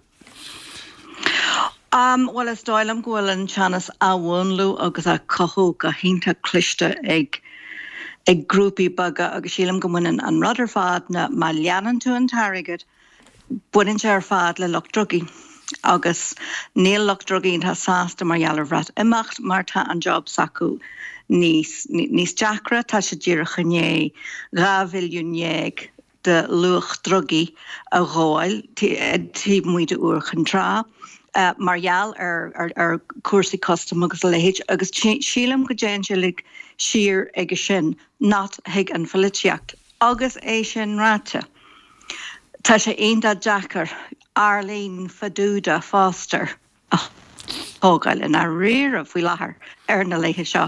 Bhuel, is dóigh liom go bhfuil an teannas á mhúnlú agus á chothú go hiontach cliste ag ag grúpaí beaga agus sílim go mbaineann an rud ar fad ná má leanann tú an t-airgead, baineann sé ar fad le lucht drugaí agus níl lucht drugaí iontach sásta mar gheall ar Bhreatimeacht mar tá an job s'acu níos níos deacra, tá siad díreach i ndiaidh 12 bhilliún de luach drugaí a ghabháil taobh amuigh d'Iúr Chinn Trá mar gheall ar chúrsaí custaim agus a leithéid agus sílim go dtéann sé uilig siar aige sin, not chuig an pholaitíocht. Agus é sin ráite, tá sé iontach deacair Arlene Feduda Foster a. tógáil i ndáiríre faoi láthair ar na laethe seo.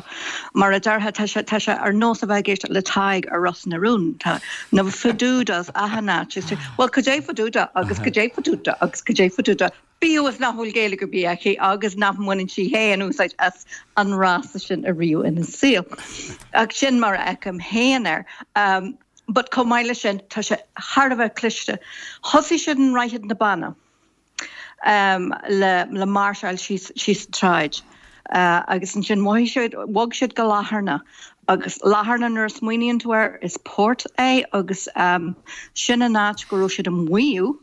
Mar a déarfá, tá sé, tá sé ar nós a bheith ag éisteacht le Tadhg ar Ros na Rún. Tá na fadudas achan áit. Is bhuel, cad é faduda agus cad é faduda agus cad é faduda, bíodh is nach bhfuil Gaeilge ar bith aici agus nach mbaineann sí féin úsáid as an fhrása sin ariamh ina saol. Ach sin mar a fheicim féin air. But chomh maith leis sin, tá sé thar a bheith cliste. Thosaigh siad i nDroichead na Banna. le máirseáil síos an tsráid. Agus ansin mhothaigh siad, bhog siad go Latharna. Agus Latharna nuair a smaoiníonn tú air, is port é agus sin an áit go raibh siad ag maíomh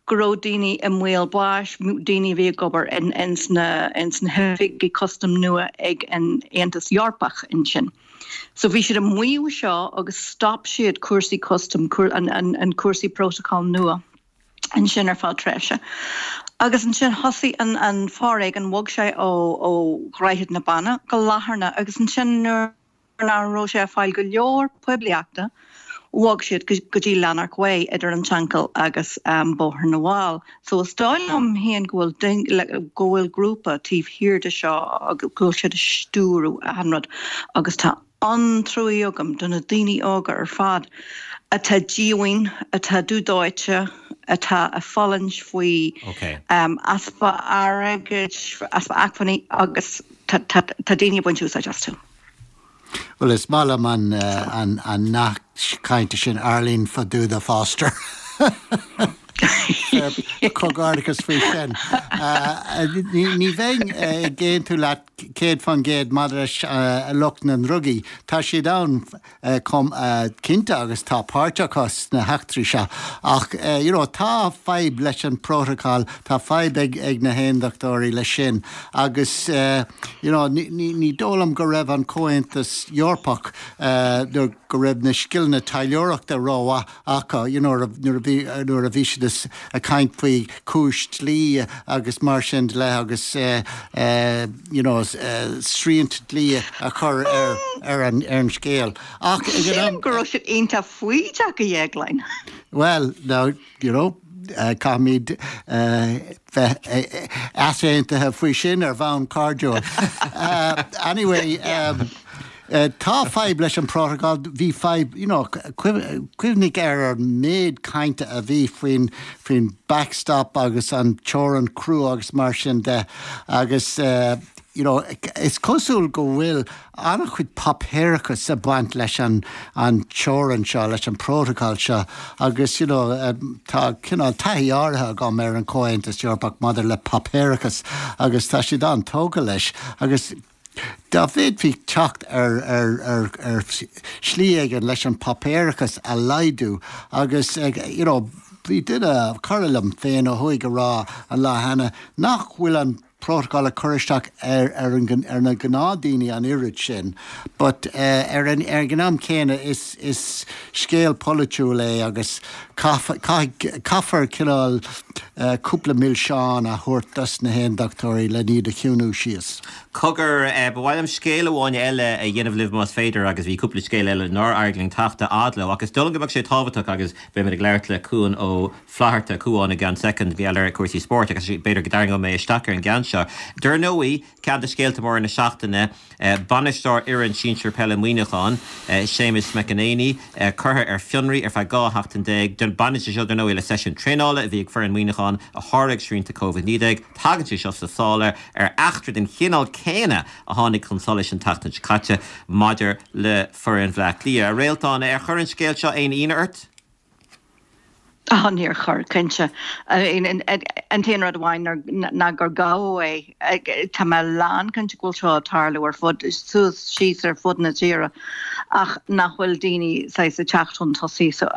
go raibh daoine i mbaol báis, daoine a bhí ag obair ins na hoifigí custaim nua ag an Aontas Eorpach ansin. So bhí siad ag maíomh seo agus stop siad cúrsaí custaim, an cúrsaí protocol nua. ansin ar feadh tréimhse. Agus ansin thosaigh an an foréigean, bhog sé ó ó Dhroichead na Banna go Latharna agus ansin nuair nach raibh sé ag fáil go leor poiblíochta, bhog siad go go dtí Lanark Way idir an tSeanchill agus Bóthar na bhFál. So is dóigh liom féin go bhfuil go bhfuil grúpa taobh thiar de seo agus go bhfuil siad ag stiúradh achan rud agus tá an-truaí agam do na daoine óga ar fad atá díomhaoin, atá dúdóite, atá ag fulaingt faoi easpa airgid, easpa acmhainní agus tá daoine ag baint úsáid astu. Bhuel, is maith liom an nath cainte sin, Arlene Faduda Foster. Comhghairdeachas faoi sin. Ní bheinn ag aontú leat 100% maidir leis lucht na ndrugaí. Tá siad ann chomh cinnte agus tá páirt acu sna heachtraí seo. Ach you know tá fadhb leis an bprótacal, tá fadhb ag ag na hAondachtóirí leis sin agus you know ní dóigh liom go raibh an Comhaontas Eorpach go raibh na scileanna taidhleoireachta rómhaith acu, you know, nuair a bhí, nuair a bhí siad ag caint faoi chúis dlí agus mar sin de agus you know, srianta dlí a chur ar, ar an, ar an scéal. Ach ag an am. Sílim go raibh siad iontach foighdeach, a Dhéagláin. Well, now, you know, caithfimid bheith easaontaithe faoi sin ar bhonn cairdiúil. Anyway, tá fadhb leis an bprótacal, bhí fadhb, you know, cuimhnigh ar an méid cainte a bhí faoin faoin backstop agus an teorainn chrua agus mar sin de agus you know, is cosúil go bhfuil an-chuid páipéarachas ag baint leis an an teorainn seo, leis an bprótacal seo agus you know tá cineál taithí áirithe agam ar an Chomhaontas Eorpach maidir le páipéarachas agus tá siad an-tógtha leis agus dá bhféadfaí teacht ar ar ar ar shlí éigin leis an páipéarachas a laghdú agus you know bhí duine, cara liom féin ó thuaidh ag rá an lá cheana nach bhfuil an prótacal ag cur isteach ar ar an ar na gnáthdhaoine an oiread sin but ar an ar an am céanna is is scéal polaitiúil é agus caithfidh caithfear cineál cúpla milseán a thabhairt dos na hAondachtóirí le iad a chiúnú síos. Cogar, ba mhaith liom scéal amháin eile a dhéanamh libh más féidir agus bhí cúpla scéal eile nár éirigh linn teacht a fhad leo ach is dóigh liom go mbeadh sé tábhachtach agus beimid ag labhairt le Cuan Ó Flatharta, Cuán i gceann soicind, mar gheall ar cúrsaí spóirt agus b'fhéidir go dtarraingeoidh mé isteach ar an gceann seo. Dar ndóigh, ceann de scéalta móra na seachtaine, bainisteoir fhoireann sinsir peile Mhuineacháin, Séamus McEnaney, curtha ar fionraí ar feadh 12 sheachtain. Baineann sé seo, dar ndóigh, le seisiún traenála a bhí ag foireann Mhuineacháin a sháraigh srianta Covid-19. Tagann sé seo sa sáile ar eachtra den chineál céanna a tháinig chun solais an tseachtain seo caite maidir le foireann Bhaile Átha Cliath. A Réaltán, ar chuir an scéal seo aon ionadh ort? Á, níor chuir, cinnte. An t-aon rud amháin ná gur gabhadh é. Tá mé lánchinnte go bhfuil seo ag tarlú ar fud, suas síos ar fud na tíre ach nach bhfuil daoine saghas ag teacht chun tosaigh. So,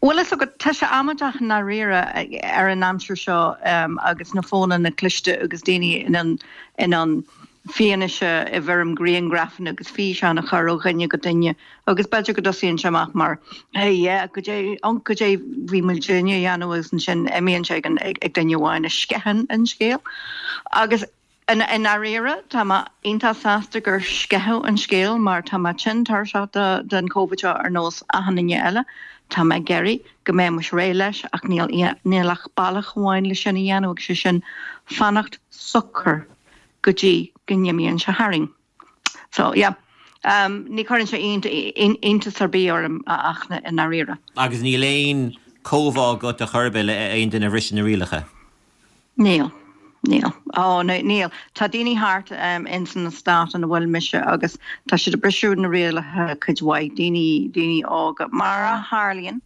bhfuil fhios agat, tá sé amaideach i ndáiríre ar an aimsir seo agus na fónanna cliste agus daoine in ann in ann fianaise i bhfoirm grianghrafanna agus físeán a chur ó dhuine go duine agus b'fhéidir go dtosaíonn sé amach mar hey yeah goidé unc goidé bhí muidinne a dhéanamh agus ansin imíonn sé ag an ag duine amháin a sceitheann an scéal agus i ndáiríre tá mé iontach sásta gur sceitheadh an scéal mar tá mé tinn tuirseach de den Covid seo ar nós achan duine eile. Tá mé ag iarraidh go mbeimis réidh leis ach níl níl ach bealach amháin le sin a dhéanamh agus sé sin fanacht socair. go dtí go n-imíonn sé tharainn. So, yeah. Ní chuireann sé iontas ar bith orm, a Fhachtna, i ndáiríre. Agus níl aon chomhbhá agat ar chor ar bith le aon duine a bhriseann na rialacha? Níl. Níl. Ó, níl. Tá daoine thart ins an eastát ina bhfuil mise agus tá siad ag briseadh na rialacha cuid mhaith, daoine, daoine óga, mar a tharlaíonn,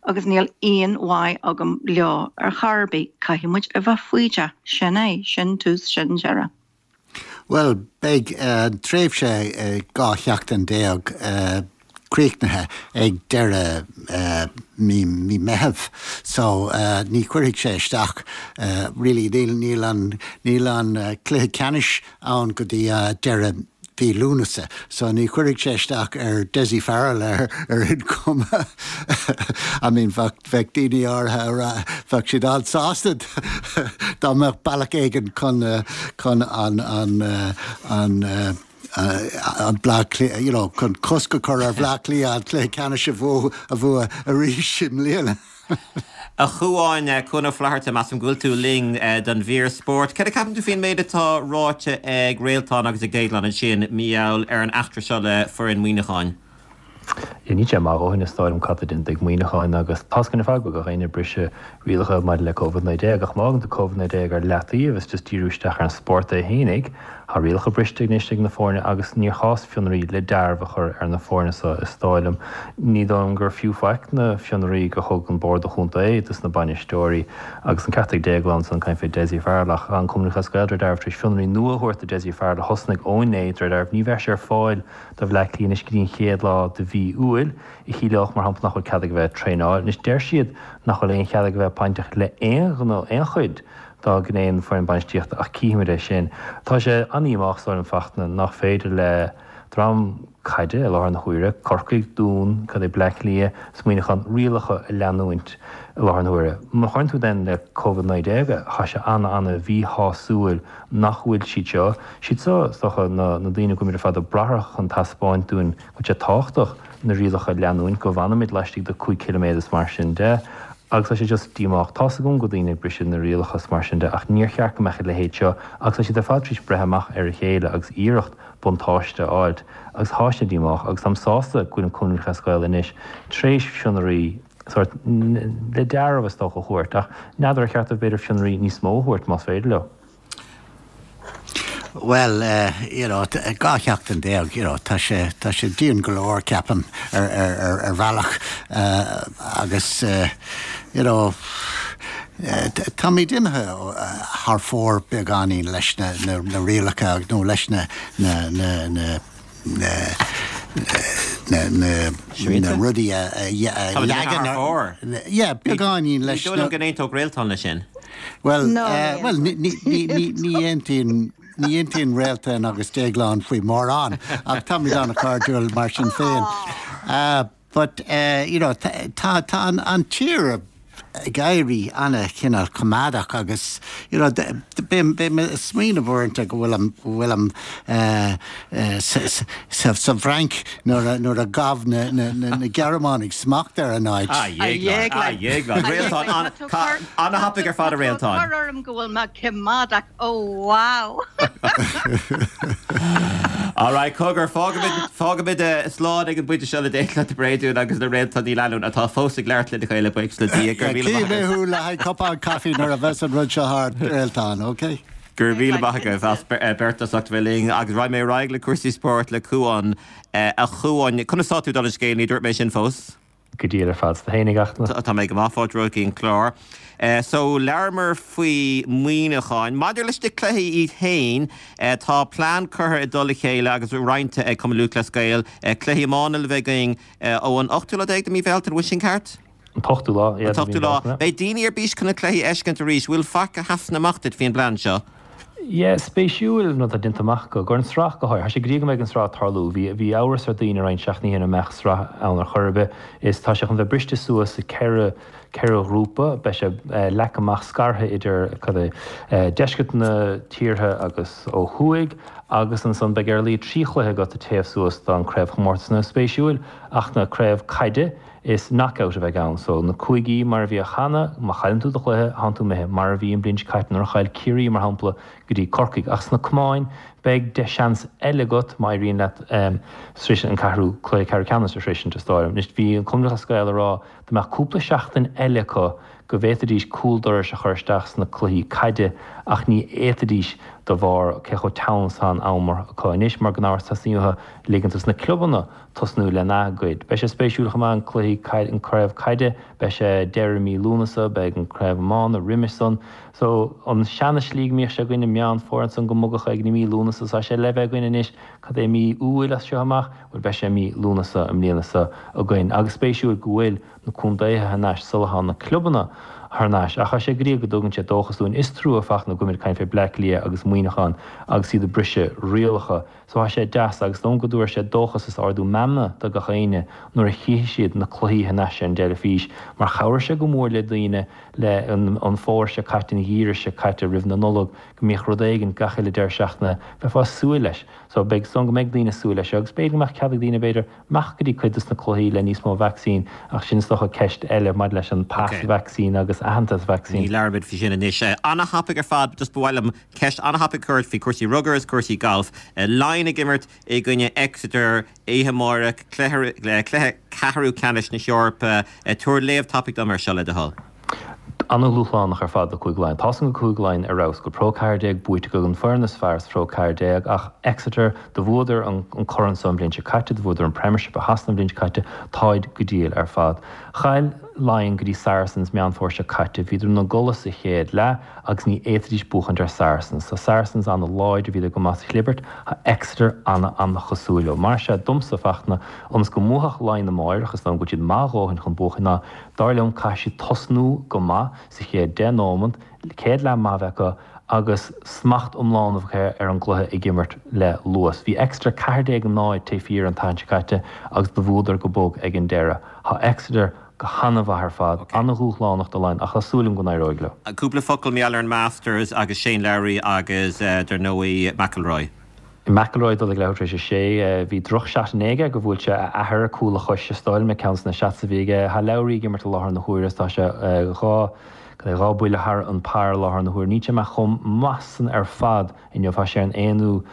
agus níl aon mhaith agam leo ar chor ar bith. Caithfidh muid a bheith foighdeach. Sin é. Sin tús, sin deireadh. Bhuel, beidh an tréimhse 12 sheachtain críochnaithe ag deireadh mí Meitheamh so ní chuirfidh sé isteach really, níl an, níl an cluiche ceannais ann go dtí deireadh mhí Lúnasa so ní chuirfidh sé isteach ar Dessie Farrell ar aon chuma. I mean bheadh, bheadh daoine áirithe a rá, bheadh siad an-sásta dá mbeadh bealach éigin chun, chun an, an, an, an Bleá Cliath, you know, chun cosc a chur ar Bhleá Cliath an cluiche ceannais a bhua, a bhua arís i mbliana. A Chuáin, Cuan Ó Flatharta, measaim go bhfuil tú linn don mhír spóirt. Céard a cheapann tú faoin méid atá ráite ag Réaltán agus ag Déaglán ansin, mar gheall ar an eachtra seo le foireann Mhuineacháin? Níl sé maith a dhóthain is dóigh liom cad tá déanta ag Muineachán agus tá's againn ar fad go bhfuil gach éinne ag briseadh rialacha maidir le Covid-19 ach má fhágann tú Covid-19 ar leataobh is just díriú isteach ar an spórt é fhéinig, tá rialacha briste anois ag na foirne agus níor chás fionraí le dearbh a chur ar na foirne so is dóigh liom. Ní dóigh liom gur fiú faic na fionraí gur thug an Bord Chontae dos na bainisteoirí agus an ceart ag Déaglán ansan caint fé Dessie Farrell ach an Cumann Lúthchleas Gael de réir dealraimh tar éis fionraí nua a thabhairt do Dessie Farrell a thosnaigh ó inné de réir dealraimh ní bheidh sé ar fáil do Bhleá Cliath anois go dtí an chéad lá de mhí Iúil, a chiallódh, mar shampla, nach bhfuil cead aige bheith ag traenáil. Anois, deir siad nach bhfuil aon chead aige bheith bainteach le aon ghnó, aon chuid dá ghné den foireann bainistíochta ach cífimid é sin. Tá sé an-dhíomách, is dóigh liom, Fachtna, nach féidir le dream caide i láthair na huaire, Corcaigh, Dún, cad é, Bleá Cliath is Muineachán, rialacha a leanúint i láthair na huaire. Má chuireann tú then le Covid-19 é, tá sé ana-ana-mhíshásúil nach bhfuil siad seo, siad seo, is dócha, na daoine go bhfuilimid ar fad ag brath orthu chun taispeáint dúinn go bhfuil sé tábhachtach na rialacha a leanúint, go bhfanfaimid laistigh de 5 ciliméadar is mar sin de. Agus tá sé just díomách. Tá's agam go bhfuil daoine ag briseadh na rialacha is mar sin de ach níor cheart go mbeadh a leithéid seo agus tá siad ar fad tar éis breith amach ar a chéile agus iarracht buntáiste a fháilt agus tá sé díomách agus táim sásta go bhfuil an Cumann Lúthchleas Gael anois tar éis fionraí sórt le dearbh is dócha a thabhairt ach n'fheadar ar cheart dóibh b'fhéidir fionraí níos mó a thabhairt más féidir leo. Bhuel, you know, 12 sheachtain, you know, tá sé, tá sé dian go leor, ceapaim, ar, ar, ar, ar bhealach agus, you know, táimid imithe thar fóir beagáinín leis na, na, na rialacha nó leis na, na, na, na, na, na, na, na rudaí a, a, a leagan ar, yeah, beagáinín leis na. Ní dóigh liom go n-aontódh Réaltán leis sin. Bhuel, bhuel, ní, ní, ní, ní aontaíonn, ní aontaíonn Réaltán agus Déaglán faoi mórán, ach táimid an-chairdiúil mar sin féin. But, you know, tá, tá an, an tír ag éirí ana-chineál coimeádach agus, you know, bím, bím ag smaoineamh uaireanta go bhfuilim, go bhfuilim sa, sa, sa bhFrainc nuair a, nuair a ghabh na, na, na, na Gearmánaigh smacht ar an áit. A Dhéagláin, a Dhéagláin, Réaltán, an, tá, ana-thapaidh ar fad a Réaltán. Tá tú ag cur orm go bhfuil mé coimeádach, oh wow! Alright, cogar, fágfaimid, fágfaimid slán ag an bpointe seo le Déaglán de Bréadún agus le Réaltán Ní Leannáin atá fós ag labhairt lena chéile, buíochas le Dia. Go raibh míle maith Cífidh mé thú le haghaidh cupán caife nuair a bheas an rud seo thart, Réaltán, ok? Go raibh míle maith agaibh as beirt as ucht a bheith linn agus raghaidh mé ar aghaidh le cúrsaí spóirt le Cuán. A Chuáin, conas tá tú dála an scéil? Ní dúirt mé sin fós. Go diail ar fad. 's tú fhéinig, a Fhachtna. Tá mé go maith, fáilte romhat go dtí an clár. So, labhramar faoi Mhuineachán. Maidir leis na cluichí iad féin, tá plean curtha i dtoll a chéile agus roinnte ag Cumann Lúthchleas Gael. Cluichí iomána le bheith againn ó an ochtú lá déag de mí Bhealtaine, an bhfuil sin ceart? An t-ochtú lá, yeah, de mí Bealtaine. Beidh daoine ar bís chun na cluichí a fheiscint arís. Bhfuil faic a sheasann amach duit faoin bplean seo? Yeah, spéisiúil an rud atá déanta amach acu, gur an sraith go háirithe. Tá sé go dtí go mbeidh an sraith ag tarlú. Bhí, bhí amhras ar daoine roinnt seachtainí ó shin an mbeadh sraith ann ar chor ar bith. Is tá sé chun bheith briste suas i 4. 4 ghrúpa, beidh sé leagtha amach scartha idir cad é, deisceart na tíortha agus ó thuaidh agus ansan beidh ar a laghad 3 chluiche agat ag téamh suas don craobhchomórtas. Now spéisiúil ach na craobh caide is knockout a bheidh ann so na cúigí mar a bhíodh cheana, má chailleann tú do chluiche thánn tú imithe, mar a bhí an bhliain seo caite nuair a chaill Ciarraí mar shampla go dtí Corcaigh. Ach sna camáin beidh deich seans eile agat má éiríonn leat sroiseadh an ceathrú cluiche ceathrú ceannais a shroisint is dóigh liom. Anois bhí an Cumann Lúthchleas Gael ag rá dá mbeadh cúpla seachtain eile acu go bhféadfaidís cúl dorais a chur isteach sna cluichí caide ach ní fhéadfaidís de bharr cé chomh teann is atá an am acu anois mar gan amhras teastaíonn uathu ligint dos na clubanna tosnú lena gcuid. Beidh sé spéisiúil chomh maith an cluichí an craobh caide beidh sé deireadh mí Lúnasa beidh an craobh iomána roimis san so an seana slí go mbíodh sé againn i Meán Fómhair ansan go mbogadh ag mí Lúnasa tá sé le bheith againn anois cad é mí Iúil as seo amach bhuel beidh sé mí Lúnasa i mbliana seo againn agus spéisiúil go bhfuil na contaetha thar n-ais sula thá na clubanna thar n-ais ach tá sé go diail go dtugann sé dóchas dúinn. Is trua Fachtna go bhfuilimid ag caint fé Bleá Cliath agus Muineachán agus iad ag briseadh rialacha so tá sé deas agus dóigh liom go dtabharfaidh sé dóchas is ardú meanmna do gach éinne nuair a chífidh siad na cluichí thar n-ais ar an dteilifís mar chabhraigh sé go mór le daoine le an fómhar seo caite an gheimhreadh seo caite roimh na Nollag go mbíodh rud éigin gach uile deireadh seachtaine bheifeá ag súil leis. So beidh dóigh liom go mbeidh daoine ag súil leis seo agus b'fhéidir go mbeadh cead ag daoine b'fhéidir imeacht go dtí cuid dos na cluichí le níos mó vacsaín ach sin is dócha ceist eile maidir leis an pas vacsaín agus aitheantas vacsaín. Ní labhróimid faoi sin anois. Ana-thapaidh ar fad, just ba mhaith liom ceist ana-thapaidh a chur ort faoi chúrsaí rugair is cúrsaí gailf. Laighin ag imirt i gcoinne Exeter oíche amárach, cluiche ceathrú ceannais na hEorpa. Tabhair léamh tapaidh dom air seo le do thoil. Ana-dhúshlánach ar fad do Chúige Laighean. Tá's agam go Cúige Laighean ar fheabhas, go Pro 14 buaite acu, an foireann is fearr sa Pro 14, ach Exeter, do bhuadar an corn so an bhliain seo caite, do bhuadar an Premiership i Shasana an bhliain seo caite, táid go diail ar fad. Chaill Laighin go dtí Saracens Meán Fómhair seo caite, bhíodar ina gcodladh sa chéad leath agus ní fhéadfaidís buachaint ar Saracens. Tá Saracens ana-láidir, bhíodar go maith sa chlibirt, tá Exeter ana-ana-chosúil leo. Mar sea, domsa, Fachtna, ionas go mbuafadh Laighin amáireach, is dóigh liom go bhfuil siad maith a dhóthain chun buachan, ná Dar liom, caithfidh siad tosnú go maith sa chéad 10 nóimeant, céad leath maith a bheith acu agus smacht iomlán a bheith acu ar an gcluiche ag imirt le luas. Bhí Exeter 14-0 taobh thiar an tseachtain seo caite agus do bhuadar go bog ag an deireadh. Tá Exeter go han-mhaith ar fad, an-dhúshlánach do Laighin ach tá súil agam go n-éireoidh leo. Cúpla focal mar gheall ar an Masters agus Shane Lowry agus, dar ndóigh, McIlroy. McIlroy ag dul ag leathuair tar éis a sé. Bhí droch shot inné aige gur bhuail sé a athair ar cúl a chois is dóigh liom ag ceann de na shots a bhí aige. Tá Lowry ag imirt i láthair na huaire is tá sé 2 cad é 2 buille thar an par i láthair na huaire. Níl sé amach chomh maith san ar fad inniu. Tá sé ar an aonú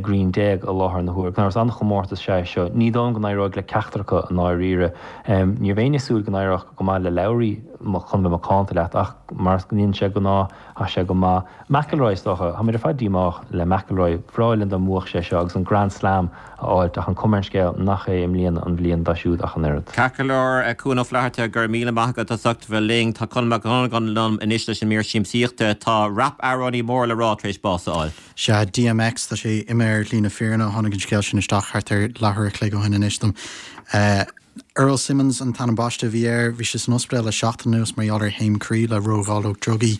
green déag i láthair na huaire. Gan amhras an-chomórtas is ea é seo. Ní dóigh liom go n-éireoidh le ceachtar acu i ndáiríre. Ní raibh éinne ag súil go n-éireodh go maith le Lowry chun bheith macánta leat ach mar a bhíonn sé de ghnáth tá sé go maith. McIlroy, is dócha. Táimid ar fad díomách le McIlroy. Bhreá linn dá mbuafadh sé seo agus an Grand Slam a fháilt ach an cuma ar an scéal nach é i mbliana an bhliain dó siúd ach an oiread. Ceart go leor, Cuan Ó Flatharta, go raibh míle maith agat as ucht bheith linn. Tá Conall Mac Dhonnagáin liom anois leis an mír siamsaíochta. Tá rap-amhránaí mór le rá tar éis bás a fháil. Sea, DMX, tá sé imithe ar shlí na fírinne. Tháinig an scéal sin isteach thart ar leathuair a chloig ó shin anois dom. Earl Simmons an t-ainm baiste a bhí air. Bhí sé san ospidéal le seachtain anuas mar gheall ar thaom croí le ródháileog drugaí.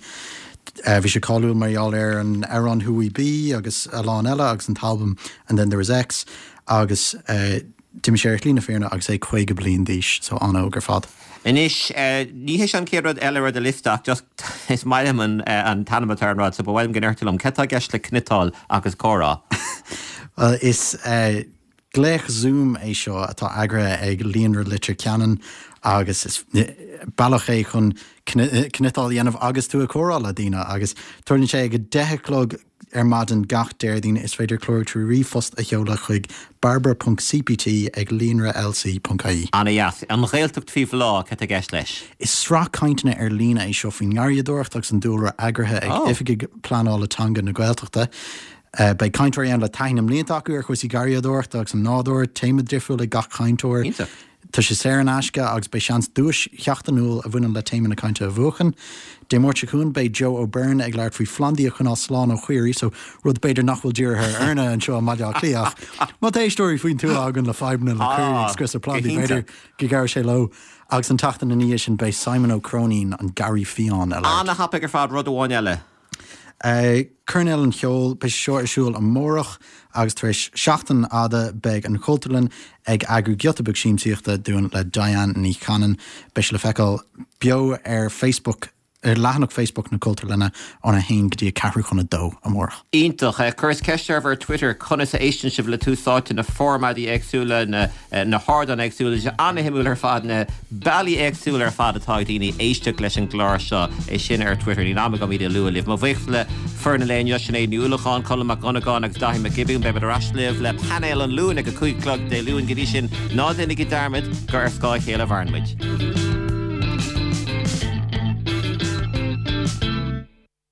Bhí sé cáiliúil mar gheall ar an amhrán Who We Be agus a lán eile agus an t-albam And Then There Was X agus d'imigh sé ar shlí na fírinne agus é 50 bliain d'aois, so an-óg ar fad. Anois, ní hé seo an chéad rud eile ar do liosta ach just is maith liom an an t-ainm atá ar an rud so ba mhaith liom go ndéarfá liom cad tá i gceist le cniotáil agus comhrá? Bhuel, is Glaoch Zoom é seo atá eagraithe ag Líonra Leitir Ceanainn agus is bealach é chun cniotáil a dhéanamh agus tú ag comhrá le daoine agus tarlaíonn sé ag 10 a chlog ar maidin gach Déardaoin. Is féidir clárú trí ríomhphost a sheoladh chuig barbara.cpt ag líonralc.ie. Ana-dheas. An Ghaeltacht faoi bhláth, cad tá i gceist leis? Is sraith cainteanna ar líne é seo faoin ngarraíodóireacht agus an dúlra eagraithe ag Oifigigh Pleanála Teanga na Gaeltachta. Beidh cainteoirí ann le taithí na mblianta acu ar chúrsaí garraíodóireachta agus an nádúir, téama difriúil ag gach cainteoir. Iontach. Tá sé saor in aisce agus beidh seans duais sheachtainiúil a bhaineann le téama na cainte a bhuachan. Dé Máirt seo chugainn beidh Joe O'Byrne ag labhairt faoi phlandaí a choinneáil slán ó chaoirigh, so rud b'fhéidir nach bhfuil dírithe ar Fhearna anseo i mBaile Átha Cliath ach má tá éisteoirí faoin tuath againn le fadhbanna le caoirigh ag Ah, scriosadh go plandaí, b'fhéidir hiontach. go gcabhróidh sé leo. Agus an tseachtain ina dhiaidh sin beidh Simon Ó Cróinín, an Garraí Fiáin, ag labhairt. Ana-thapaidh ar fad, rud amháin eile. Coirnéal an Cheoil, beidh sé seo ar siúl amárach agus tar éis seachtain fhada beidh an Chultúrlann ag eagrú giota beag siamsaíochta dúinn le Diane Ní Chanainn. Beidh sé le feiceáil beo ar Facebook ar leathanach Facebook na Cultúrlainne óna haon go dtí a ceathrú chun a dó amárach. Iontach. Chuireas ceist oraibh ar Twitter conas a éisteann sibh le Tús Áite, na formáidí éagsúla, na na hardáin éagsúla. Tá sé an-shuimiúil ar fad na bealaí éagsúla ar fad atá ag daoine éisteacht leis an gclár seo. É sin ar Twitter. Níl am agam iad a lua libh. Mo bhuíochas le foireann an lae inniu, Sinéad Ní Uallacháin, Colm Mac Dhonnagáin agus Daithí Mac Giobúin. Beimid ar ais libh le painéal an Luain ag a 5 a chlog Dé Luain. Go dtí sin, ná déanaigí dearmad gur ar scáth a chéile a mhaireann muid.